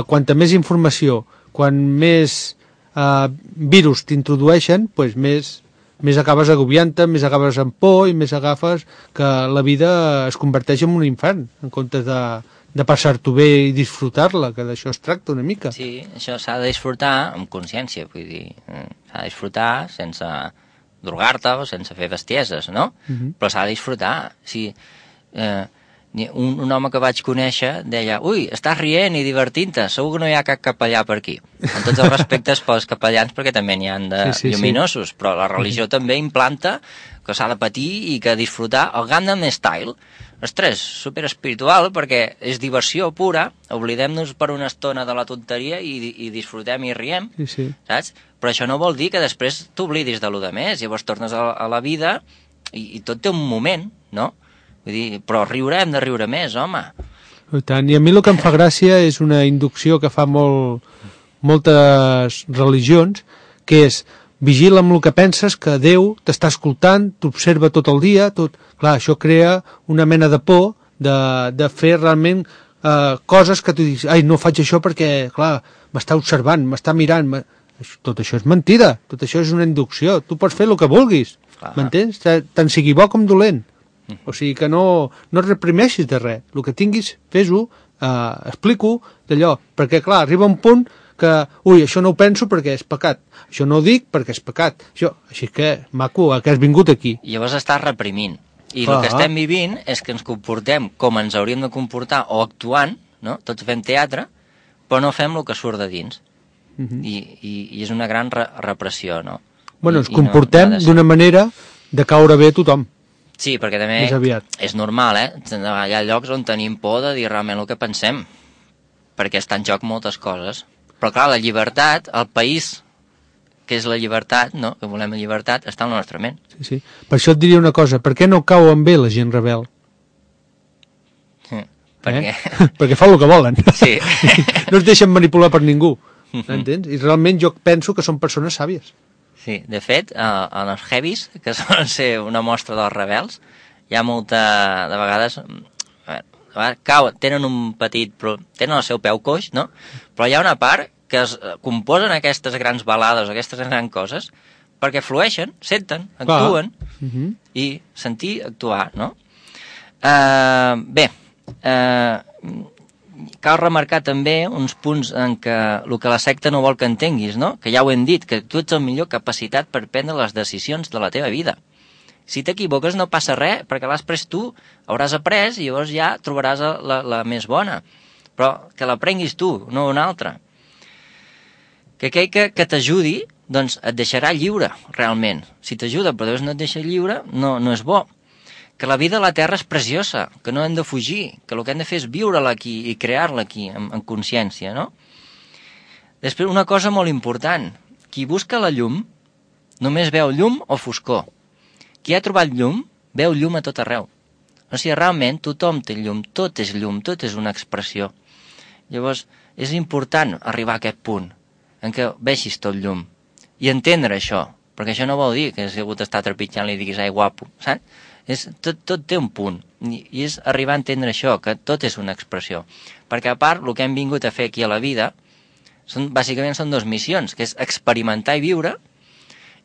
quanta més informació, quan més virus t'introdueixen, doncs més acabes agobiant-te, més acabes amb por i més agafes que la vida es converteix en un infern, en comptes de passar-t'ho bé i disfrutar-la, que d'això es tracta una mica. Sí, això s'ha de disfrutar amb consciència, vull dir, s'ha de disfrutar sense drogar-te o sense fer bestieses, no? Però s'ha de disfrutar. Sí, Un home que vaig conèixer deia, ui, estàs rient i divertint-te, segur que no hi ha cap capellà per aquí. En tots els respectes pels capellans, perquè també n'hi ha de lluminosos, però la religió també implanta que s'ha de patir i que disfrutar el Gangnam Style. Ostres, superespiritual, perquè és diversió pura, oblidem-nos per una estona de la tonteria i disfrutem i riem, saps? Però això no vol dir que després t'oblidis de lo de més, llavors tornes a la vida i tot té un moment, no? Vull dir, però riure hem de riure més, home. I tant, i a mi el que em fa gràcia és una inducció que fa moltes religions, que és vigila amb el que penses, que Déu t'està escoltant, t'observa tot el dia, tot... Clar, això crea una mena de por de fer realment coses que tu dius, ai, no faig això perquè, clar, m'està observant, m'està mirant... Tot això és mentida, tot això és una inducció, tu pots fer el que vulguis, m'entens? Tant sigui bo com dolent. O sigui que no et reprimeixis de res. El que tinguis, fes-ho, explico d'allò. Perquè, clar, arriba un punt que, ui, això no ho penso perquè és pecat. Això no ho dic perquè és pecat. Així que, maco, que has vingut aquí. I llavors estàs reprimint. I el que estem vivint és que ens comportem com ens hauríem de comportar o actuant, no? Tots fem teatre, però no fem el que surt de dins. I és una gran repressió, no? Bueno, ens comportem d'una manera de caure bé a tothom. Sí, perquè també és normal, Hi ha llocs on tenim por de dir realment el que pensem, perquè està en joc moltes coses. Però clar, la llibertat, el país que és la llibertat, no? Que volem la llibertat, està en la nostra ment. Sí. Per això et diria una cosa, per què no cauen bé la gent rebel? Perquè fa el que volen. Sí. No es deixen manipular per ningú, entens? I realment jo penso que són persones sàvies. Sí, de fet, en els heavies, que solen ser una mostra dels rebels, hi ha molta... De vegades... tenen un petit... Tenen el seu peu coix, no? Però hi ha una part que es composen aquestes grans balades, aquestes grans coses, perquè flueixen, senten, actuen, i sentir, actuar, no? Cal remarcar també uns punts en què el que la secta no vol que entenguis, no? Que ja ho hem dit, que tu ets el millor capacitat per prendre les decisions de la teva vida. Si t'equivoques no passa res, perquè l'has pres tu, hauràs après i llavors ja trobaràs la més bona. Però que la prenguis tu, no un altre. Que aquell que t'ajudi, doncs et deixarà lliure, realment. Si t'ajuda però no et deixa lliure, no és bo. Que la vida a la Terra és preciosa, que no hem de fugir, que el que hem de fer és viure-la aquí i crear-la aquí, en consciència, no? Després, una cosa molt important. Qui busca la llum només veu llum o foscor. Qui ha trobat llum, veu llum a tot arreu. O sigui, realment, tothom té llum, tot és una expressió. Llavors, és important arribar a aquest punt, en què vegis tot llum, i entendre això, perquè això no vol dir que si algú t'està trepitjant li diguis, ai, guapo, saps? Tot té un punt, i és arribar a entendre això, que tot és una expressió. Perquè a part, el que hem vingut a fer aquí a la vida, bàsicament són dues missions, que és experimentar i viure,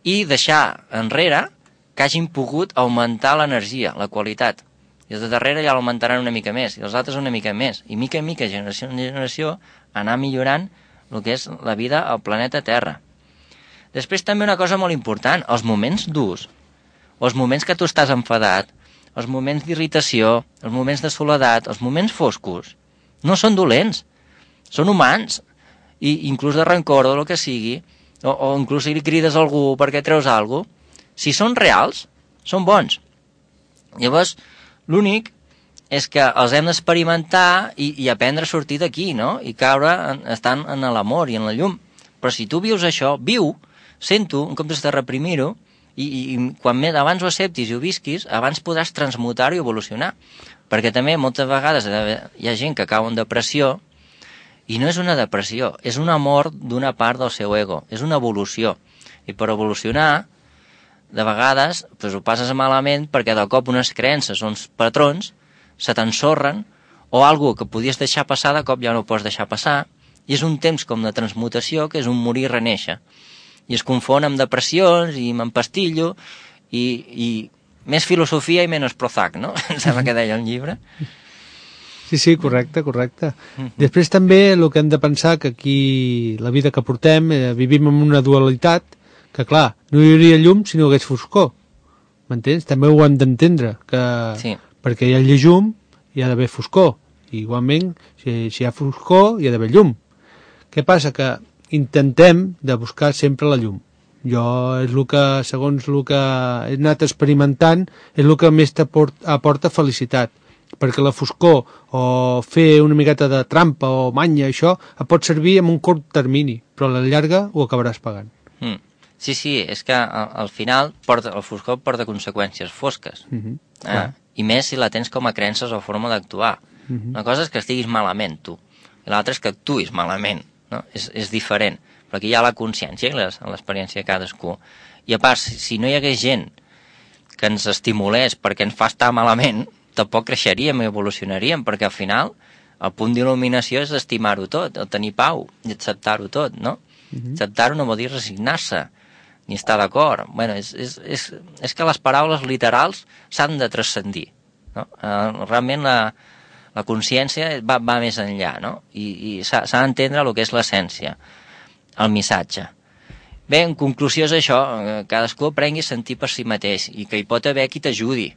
i deixar enrere que hagin pogut augmentar l'energia, la qualitat. I els de darrere ja l'augmentaran una mica més, i els altres una mica més. I mica en mica, generació en generació, anar millorant el que és la vida al planeta Terra. Després també una cosa molt important, els moments durs, els moments que tu estàs enfadat, els moments d'irritació, els moments de soledat, els moments foscos, no són dolents, són humans, i inclús de rancor o el que sigui, o inclús si li crides a algú perquè treus alguna cosa, si són reals, són bons. Llavors, l'únic és que els hem d'experimentar i aprendre a sortir d'aquí, no? I caure estant en l'amor i en la llum. Però si tu vius això, viu, sent-ho, en comptes de reprimir-ho, i quan més abans ho acceptis i ho visquis, abans podràs transmutar-ho i evolucionar. Perquè també moltes vegades hi ha gent que cau en depressió, i no és una depressió, és una mort d'una part del seu ego, és una evolució. I per evolucionar, de vegades, doncs ho passes malament perquè de cop unes creences, uns patrons, se t'ensorren, o alguna que podies deixar passar, de cop ja no ho pots deixar passar, i és un temps com de transmutació, que és un morir i renéixer. I es confon amb depressions, i m'empastillo, i més filosofia i menys Prozac, no? Em sembla que deia el llibre. Sí, correcte. Després també el que hem de pensar que aquí, la vida que portem, vivim en una dualitat, que clar, no hi hauria llum si no hi hagués foscor. M'entens? També ho hem d'entendre, que sí. Perquè hi ha llum hi ha d'haver foscor. I igualment, si hi ha foscor, hi ha d'haver llum. Què passa? Que intentem de buscar sempre la llum. Jo és el que, segons el que he anat experimentant, és el que més aporta felicitat. Perquè la foscor o fer una miqueta de trampa o manya, això, et pot servir en un curt termini, però a la llarga ho acabaràs pagant. Sí, és que al final el foscor porta conseqüències fosques. I més si la tens com a creences o forma d'actuar. Una cosa és que estiguis malament, tu, i l'altra és que actuïs malament, no? És diferent, però aquí hi ha la consciència i l'experiència de cadascú. I a part, si no hi hagués gent que ens estimulés perquè ens fa estar malament, tampoc creixeríem i evolucionaríem, perquè al final el punt d'il·luminació és estimar-ho tot, el tenir pau i acceptar-ho tot, no? Acceptar-ho no vol dir resignar-se, ni estar d'acord. Bueno, és que les paraules literals s'han de transcendir, no? Realment la consciència va més enllà, no? I s'ha d'entendre el que és l'essència, el missatge. Bé, en conclusió és això, cadascú aprengui a sentir per si mateix i que hi pot haver qui t'ajudi,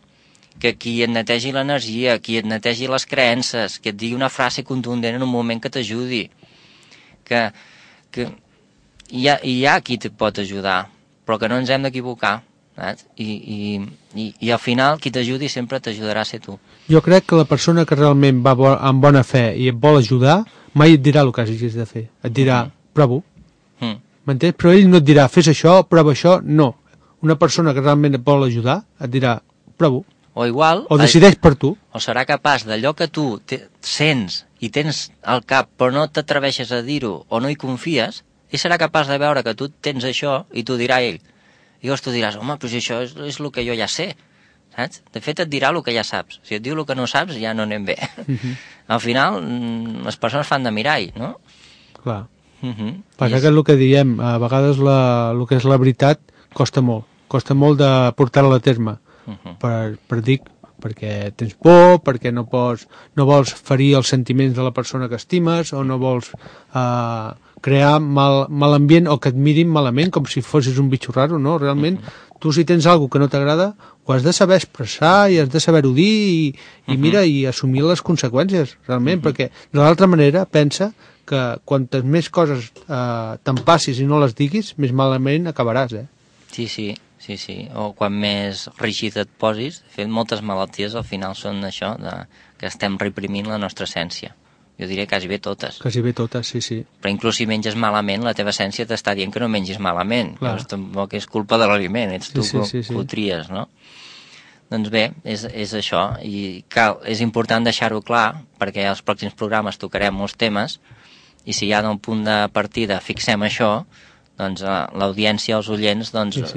que qui et netegi l'energia, qui et netegi les creences, que et digui una frase contundent en un moment que t'ajudi, que hi ha qui te pot ajudar, però que no ens hem d'equivocar, saps? I al final qui t'ajudi sempre t'ajudarà a ser tu. Jo crec que la persona que realment va amb bona fe i et vol ajudar mai et dirà el que hagis de fer, et dirà prova-ho, m'entens? Però ell no et dirà fes això, prova això, no. Una persona que realment et vol ajudar et dirà prova-ho. O igual... O decideix per tu. O serà capaç d'allò que tu sents i tens al cap però no t'atreveixes a dir-ho o no hi confies, ell serà capaç de veure que tu tens això i t'ho dirà ell. I llavors tu diràs, home, però això és el que jo ja sé, saps? De fet et dirà el que ja saps. Si et diu el que no saps ja no anem bé. Al final les persones fan de mirall, no? Clar. Passa que és el que diem, a vegades el que és la veritat costa molt de portar-la a terme. Perquè tens por, perquè no vols ferir els sentiments de la persona que estimes o no vols crear mal ambient o que et mirin malament com si fossis un bitxo raro, no? Realment, tu si tens alguna que no t'agrada ho has de saber expressar i has de saber-ho dir i assumir les conseqüències, realment, perquè de l'altra manera pensa que quantes més coses te'n passis i no les diguis, més malament acabaràs, Sí, o quan més rígid et posis. De fet, moltes malalties al final són això, que estem reprimint la nostra essència. Jo diré quasi bé totes. Quasi bé totes, sí. Però inclús si menges malament, la teva essència t'està dient que no mengis malament. Llavors tampoc és culpa de l'aliment, ets tu que ho tries, no? Doncs bé, és això. I és important deixar-ho clar, perquè als pròxims programes tocarem molts temes, i si ja d'un punt de partida fixem això, doncs l'audiència, els oients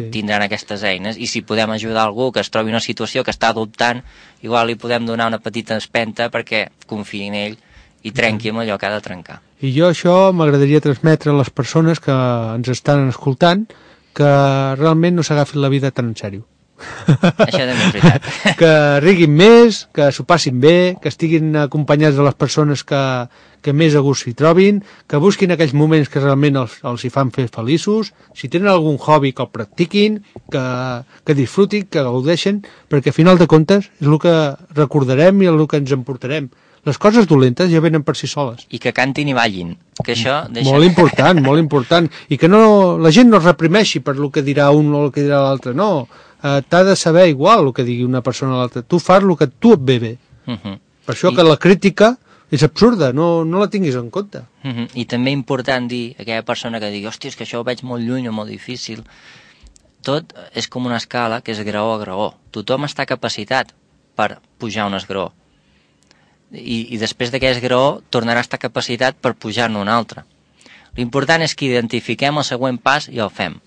tindran aquestes eines, i si podem ajudar algú que es trobi una situació que està dubtant, igual li podem donar una petita empenta perquè confiï en ell i trenqui amb allò que ha de trencar. I jo això m'agradaria transmetre a les persones que ens estan escoltant que realment no s'agafin la vida tan en sèrio. Això també és veritat. Que riguin més, que s'ho passin bé, que estiguin acompanyats de les persones que més a gust s'hi trobin, que busquin aquells moments que realment els hi fan fer feliços, si tenen algun hobby que el practiquin, que disfrutin, que gaudeixen, perquè a final de comptes és el que recordarem i el que ens emportarem. Les coses dolentes ja venen per si soles. I que cantin i ballin. Que això deixa... Molt important, molt important. I que la gent no es reprimeixi per el que dirà un o el que dirà l'altre, no. T'ha de saber igual el que digui una persona a l'altra. Tu fas el que tu et ve bé. Per això que la crítica és absurda, no la tinguis en compte. I també important dir a aquella persona que digui hòstia, és que això ho veig molt lluny o molt difícil. Tot és com una escala que és graó a graó. Tothom està capacitat per pujar un esgraó. I després d'aquest esgraó tornarà a estar capacitat per pujar-ne un altre. L'important és que identifiquem el següent pas i el fem.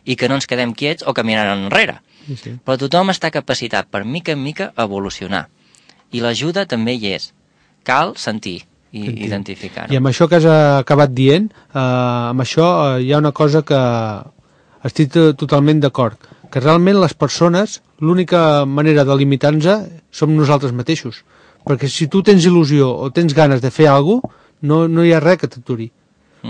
I que no ens quedem quiets o caminant enrere. Sí. Però tothom està capacitat per mica en mica evolucionar. I l'ajuda també hi és. Cal sentir i identificar-ho. I amb això que has acabat dient, amb això hi ha una cosa que estic totalment d'acord, que realment les persones, l'única manera de limitar-nos som nosaltres mateixos. Perquè si tu tens il·lusió o tens ganes de fer alguna cosa, no hi ha res que t'aturi.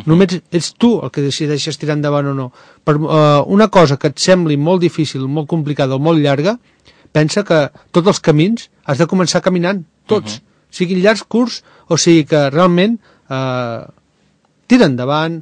Només ets tu el que decideixes tirar endavant o no. Per una cosa que et sembli molt difícil, molt complicada o molt llarga, pensa que tots els camins has de començar caminant, tots. siguin llargs, curts, o sigui que realment tira endavant,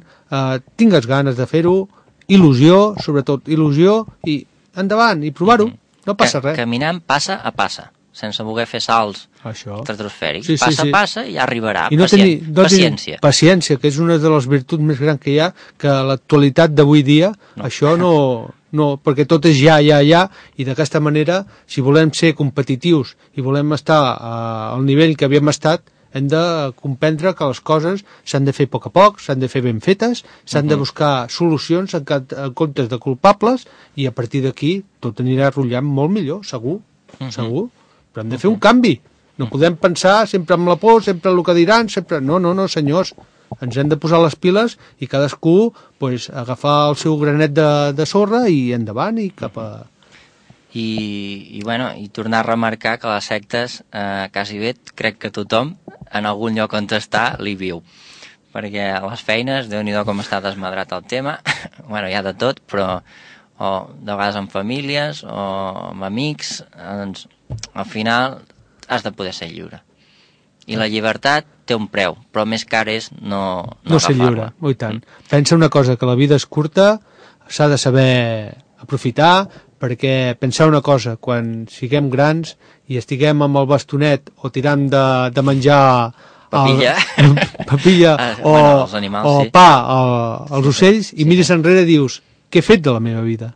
tingues ganes de fer-ho, il·lusió, sobretot il·lusió, i endavant, i provar-ho, no passa res. Caminant passa a passa, sense voler fer salts estratosfèrics. Passa a passa i ja arribarà. I paciència. Paciència, que és una de les virtuts més grans que hi ha, que a l'actualitat d'avui dia, això no, perquè tot és ja, i d'aquesta manera, si volem ser competitius i volem estar al nivell que havíem estat, hem de comprendre que les coses s'han de fer a poc, s'han de fer ben fetes, s'han de buscar solucions en comptes de culpables, i a partir d'aquí tot anirà rotllant molt millor, segur. Però hem de fer un canvi. No podem pensar sempre amb la por, sempre el que diran, sempre... No, senyors. Ens hem de posar les piles i cadascú agafar el seu granet de sorra i endavant i cap a... I tornar a remarcar que les sectes, quasi bé, crec que tothom, en algun lloc on està, li viu. Perquè a les feines, Déu-n'hi-do com està desmadrat el tema, hi ha de tot, però o de vegades amb famílies o amb amics, doncs al final has de poder ser lliure. I la llibertat té un preu, però més car és no ser lliure, i tant. Pensa una cosa, que la vida és curta, s'ha de saber aprofitar, perquè pensar una cosa, quan siguem grans i estiguem amb el bastonet o tirant de menjar papilla o pa als ocells i mires enrere i dius, què he fet de la meva vida?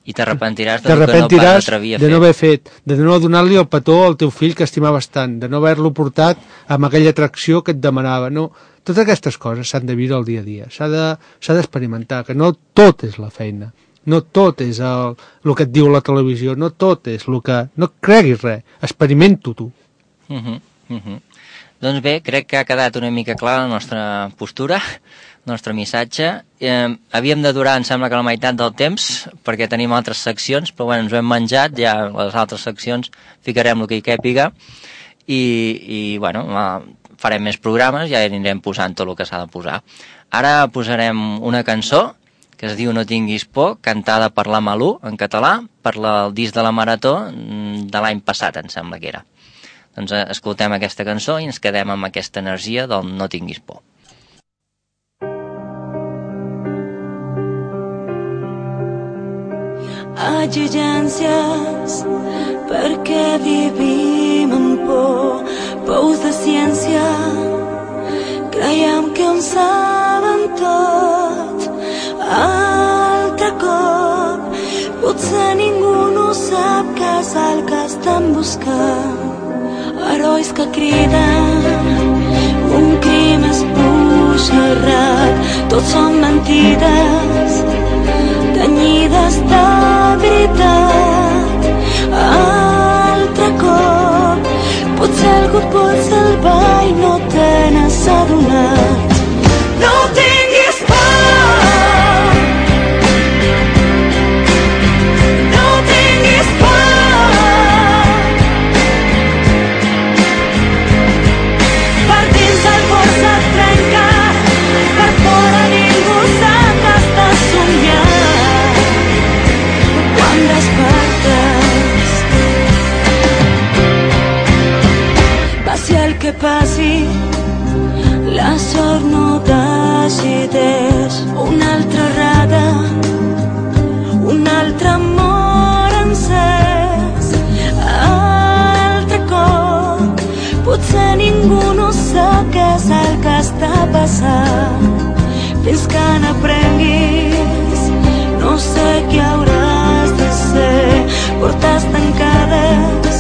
I t'arrepentiràs de no haver fet, de no donar-li el petó al teu fill que estimaves tant, de no haver-lo portat amb aquella atracció que et demanava. No, totes aquestes coses s'han de viure el dia a dia, s'ha d'experimentar, que no tot és la feina, no tot és el que et diu la televisió, no tot és el que... No creguis res, experimenta-ho tu. Doncs bé, crec que ha quedat una mica clara la nostra postura, el nostre missatge. Havíem de durar, em sembla que la meitat del temps, perquè tenim altres seccions, però ens ho hem menjat, ja les altres seccions ficarem el que hi càpiga, i farem més programes, ja anirem posant tot el que s'ha de posar. Ara posarem una cançó, que es diu No tinguis por, cantada per la Malú, en català, per el disc de la Marató de l'any passat, em sembla que era. Doncs escoltem aquesta cançó i ens quedem amb aquesta energia del No tinguis por. Exigències perquè vivim amb pous de ciència, creiem que ho saben tot. Altre cop potser ningú no sap què és el que estan buscant. Herois que criden, un crim esbojarrat, tots són mentides tenyides de veritat. Altre cop potser algú et vol salvar i no te n'has adonat. No tinguis por, no tinguis por, per dins el cor se't trenca, per fora ningú sap que estàs somiant. Quan despertes, passi el que passi, la sort no decideix. Una altra errada, un altre amor encès. Altre cop potser ningú no sap què és el que està passant. Fins que n'aprenguis, no sé què hauràs de ser. Portes tancades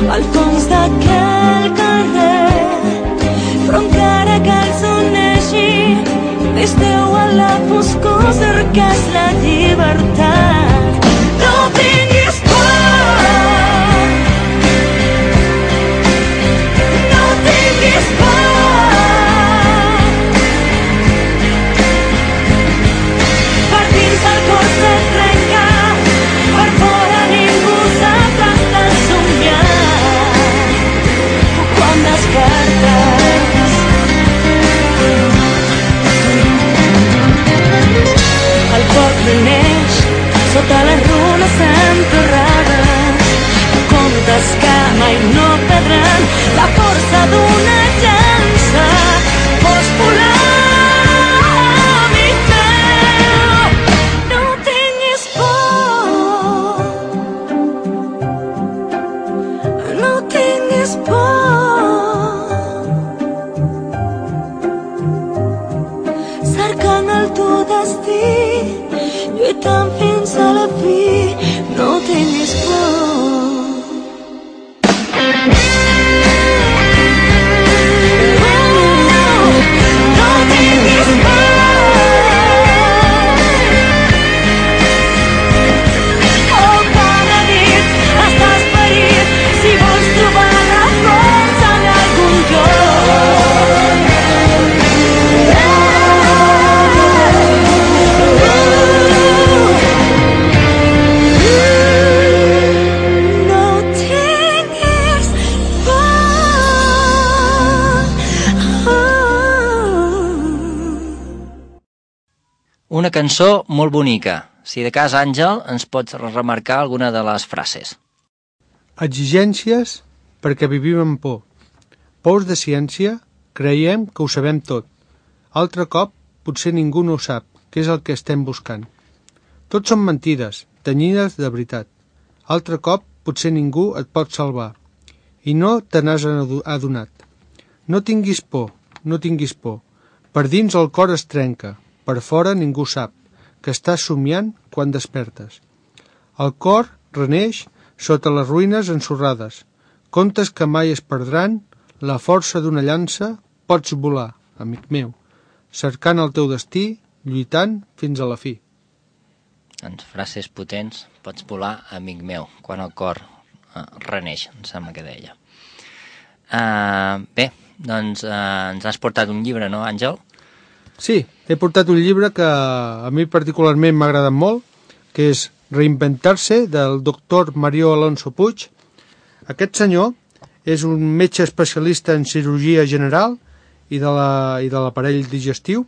al fons d'aquell carrer, però encara cal s'uneixi, esteu a la foscor, cerques la llibertat. No tinguis por, no tinguis por, per dins el cor se't trenca, per fora ningú sap que estàs somiant. Quan despertes, el poble neix sota les runes en el teu destí, lluitant fins a la fi, no tinguis por. No tinguis por. Oh, cada nit estàs ferit, si vols trobar la força en algun lloc. Una cançó molt bonica. Si de cas, Àngel, ens pots remarcar alguna de les frases. Exigències perquè vivim amb por. Pous de ciència, creiem que ho sabem tot. Altre cop, potser ningú no ho sap, que és el que estem buscant. Tot són mentides, tenyides de veritat. Altre cop, potser ningú et pot salvar. I no te n'has adonat. No tinguis por, no tinguis por. Per dins el cor es trenca, per fora ningú sap, que estàs somiant quan despertes. El cor reneix sota les ruïnes ensorrades. Contes que mai es perdran, la força d'una llança, pots volar, amic meu, cercant el teu destí, lluitant fins a la fi. Doncs frases potents, pots volar, amic meu, quan el cor reneix, em sembla que deia. Bé, doncs ens has portat un llibre, no, Àngel? Sí, he portat un llibre que a mi particularment m'ha agradat molt, que és Reinventar-se, del doctor Mario Alonso Puig. Aquest senyor és un metge especialista en cirurgia general i de l'aparell digestiu.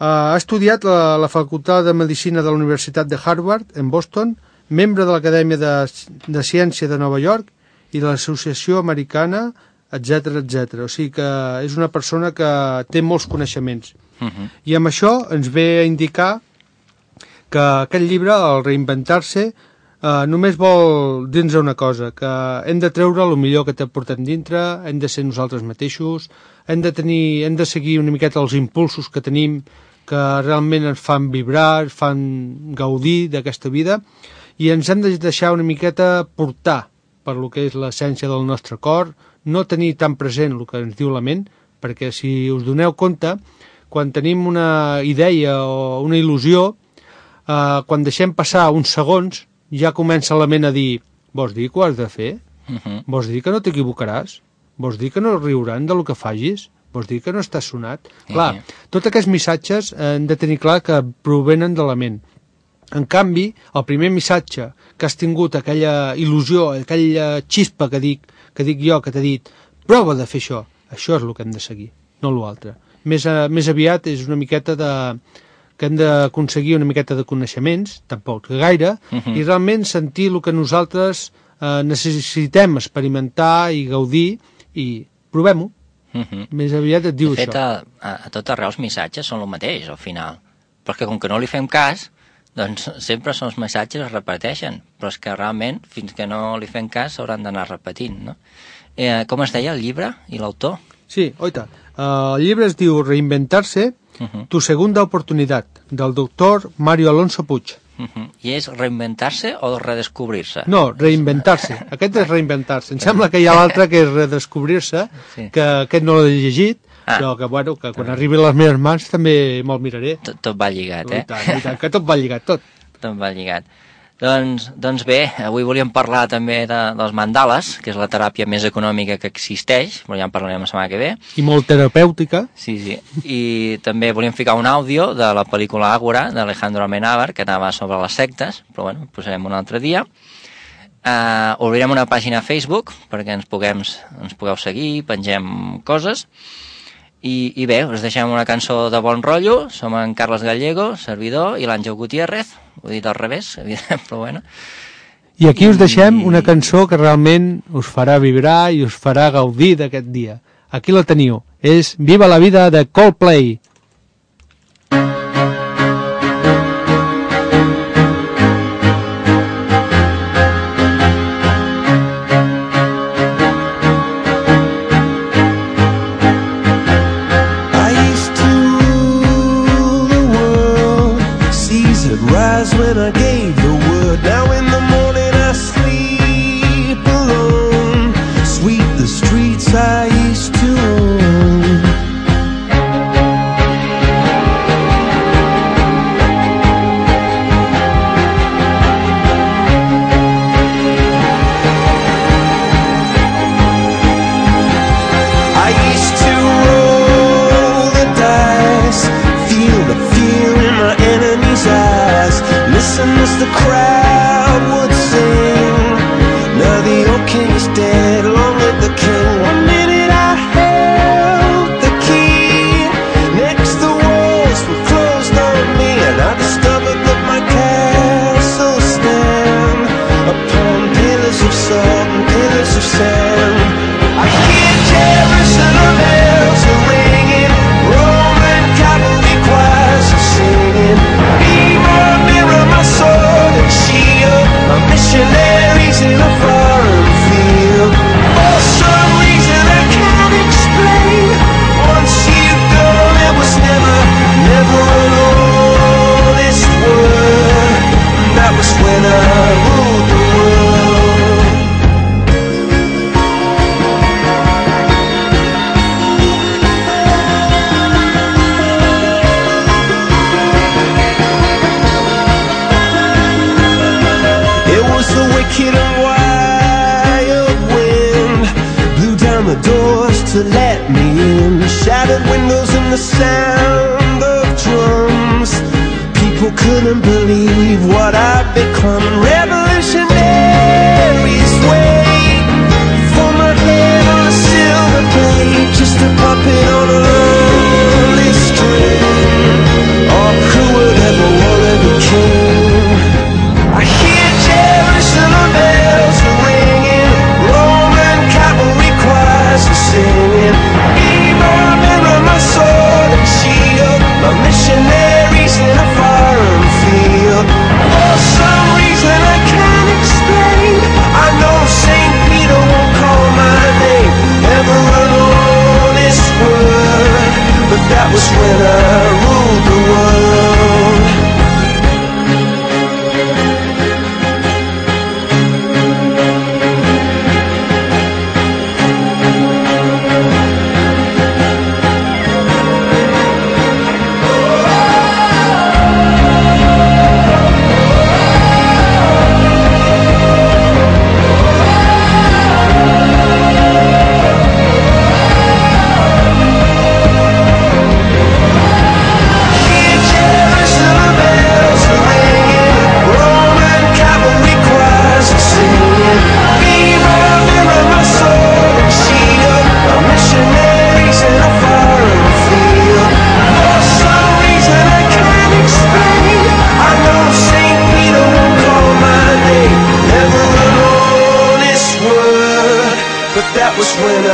Ha estudiat a la Facultat de Medicina de la Universitat de Harvard, en Boston, membre de l'Acadèmia de Ciència de Nova York i de l'Associació Americana, etc etc. O sigui que és una persona que té molts coneixements. I amb això ens ve a indicar que aquest llibre, el Reinventar-se, només vol dir-nos una cosa, que hem de treure el millor que té portat dintre, hem de ser nosaltres mateixos, hem de seguir una miqueta els impulsos que tenim, que realment ens fan vibrar, ens fan gaudir d'aquesta vida, i ens hem de deixar una miqueta portar per lo que és l'essència del nostre cor, no tenir tan present el que ens diu la ment, perquè si us doneu compte, quan tenim una idea o una il·lusió, quan deixem passar uns segons, ja comença la ment a dir, vols dir que ho has de fer? Vols dir que no t'equivocaràs? Vols dir que no riuran del que fagis? Vols dir que no estàs sonat? Clar, tots aquests missatges hem de tenir clar que provenen de la ment. En canvi, el primer missatge que has tingut, aquella il·lusió, aquella xispa que dic jo, que t'he dit, prova de fer això és el que hem de seguir, no l'altre. Més aviat és una miqueta que hem d'aconseguir una miqueta de coneixements, tampoc gaire, i realment sentir el que nosaltres necessitem experimentar i gaudir, i provem-ho. Més aviat et diu això. De fet, a tot arreu els missatges són el mateix, al final. Però és que com que no li fem cas, doncs sempre els missatges es repeteixen, però és que realment, fins que no li fem cas, s'hauran d'anar repetint, no? Com es deia el llibre i l'autor? Sí, oita. El llibre es diu Reinventar-se, tu segunda oportunitat, del doctor Mario Alonso Puig. I és reinventar-se o redescobrir-se? No, reinventar-se. Aquest és reinventar-se. Em sembla que hi ha l'altre que és redescobrir-se, que aquest no l'he llegit, però que, bueno, que quan arribi a les meves mans també me'l miraré. Tot va lligat, I tant, que tot va lligat, tot. Tot va lligat. Doncs bé, avui volíem parlar també dels mandales, que és la teràpia més econòmica que existeix, però ja en parlarem la setmana que ve. I molt terapèutica. Sí. I també volíem ficar un àudio de la pel·lícula Ágora, d'Alejandro Amenábar, que anava sobre les sectes, però bueno, posarem un altre dia. Obrirem una pàgina a Facebook perquè ens pugueu seguir, pengem coses. I bé, us deixem una cançó de bon rotllo. Som en Carles Gallego, servidor, i l'Àngel Gutiérrez. Ho he dit al revés, evident, però bueno. I aquí us deixem una cançó que realment us farà vibrar i us farà gaudir d'aquest dia. Aquí la teniu. És Viva la vida de Coldplay. I gave the word. Now in the morning I sleep alone. Sweep the streets I used to own. I used to roll the dice, feel the fear in my enemy's eyes, listen as the crowd would sing. Now the old king is dead, long live the king. One minute I held the key, next the walls were closed on me, and I discovered that my castle stand upon pillars of salt and pillars of sand. I hear Jerusalem bells are ringing, Roman cavalry choirs are singing. Be my mirror, my sword and shield, my missionaries in a foreign field. For some reason I can't explain, once you've gone it was never, never an honest word. That was when I ruled the world. The wicked and wild wind blew down the doors to let me in. Shattered windows and the sound of drums. People couldn't believe what I'd become. Revolutionaries wait for my head on a silver plate, just a puppet on a lonely string. Oh, who would ever wanna be king? I hear Jerusalem bells are ringing, Roman cavalry choirs are singing. Be my mirror, my sword and shield, my missionaries in a foreign field. For some reason I can't explain, I know St. Peter won't call my name, never an honest word, but that was when I ruled the world. That was when I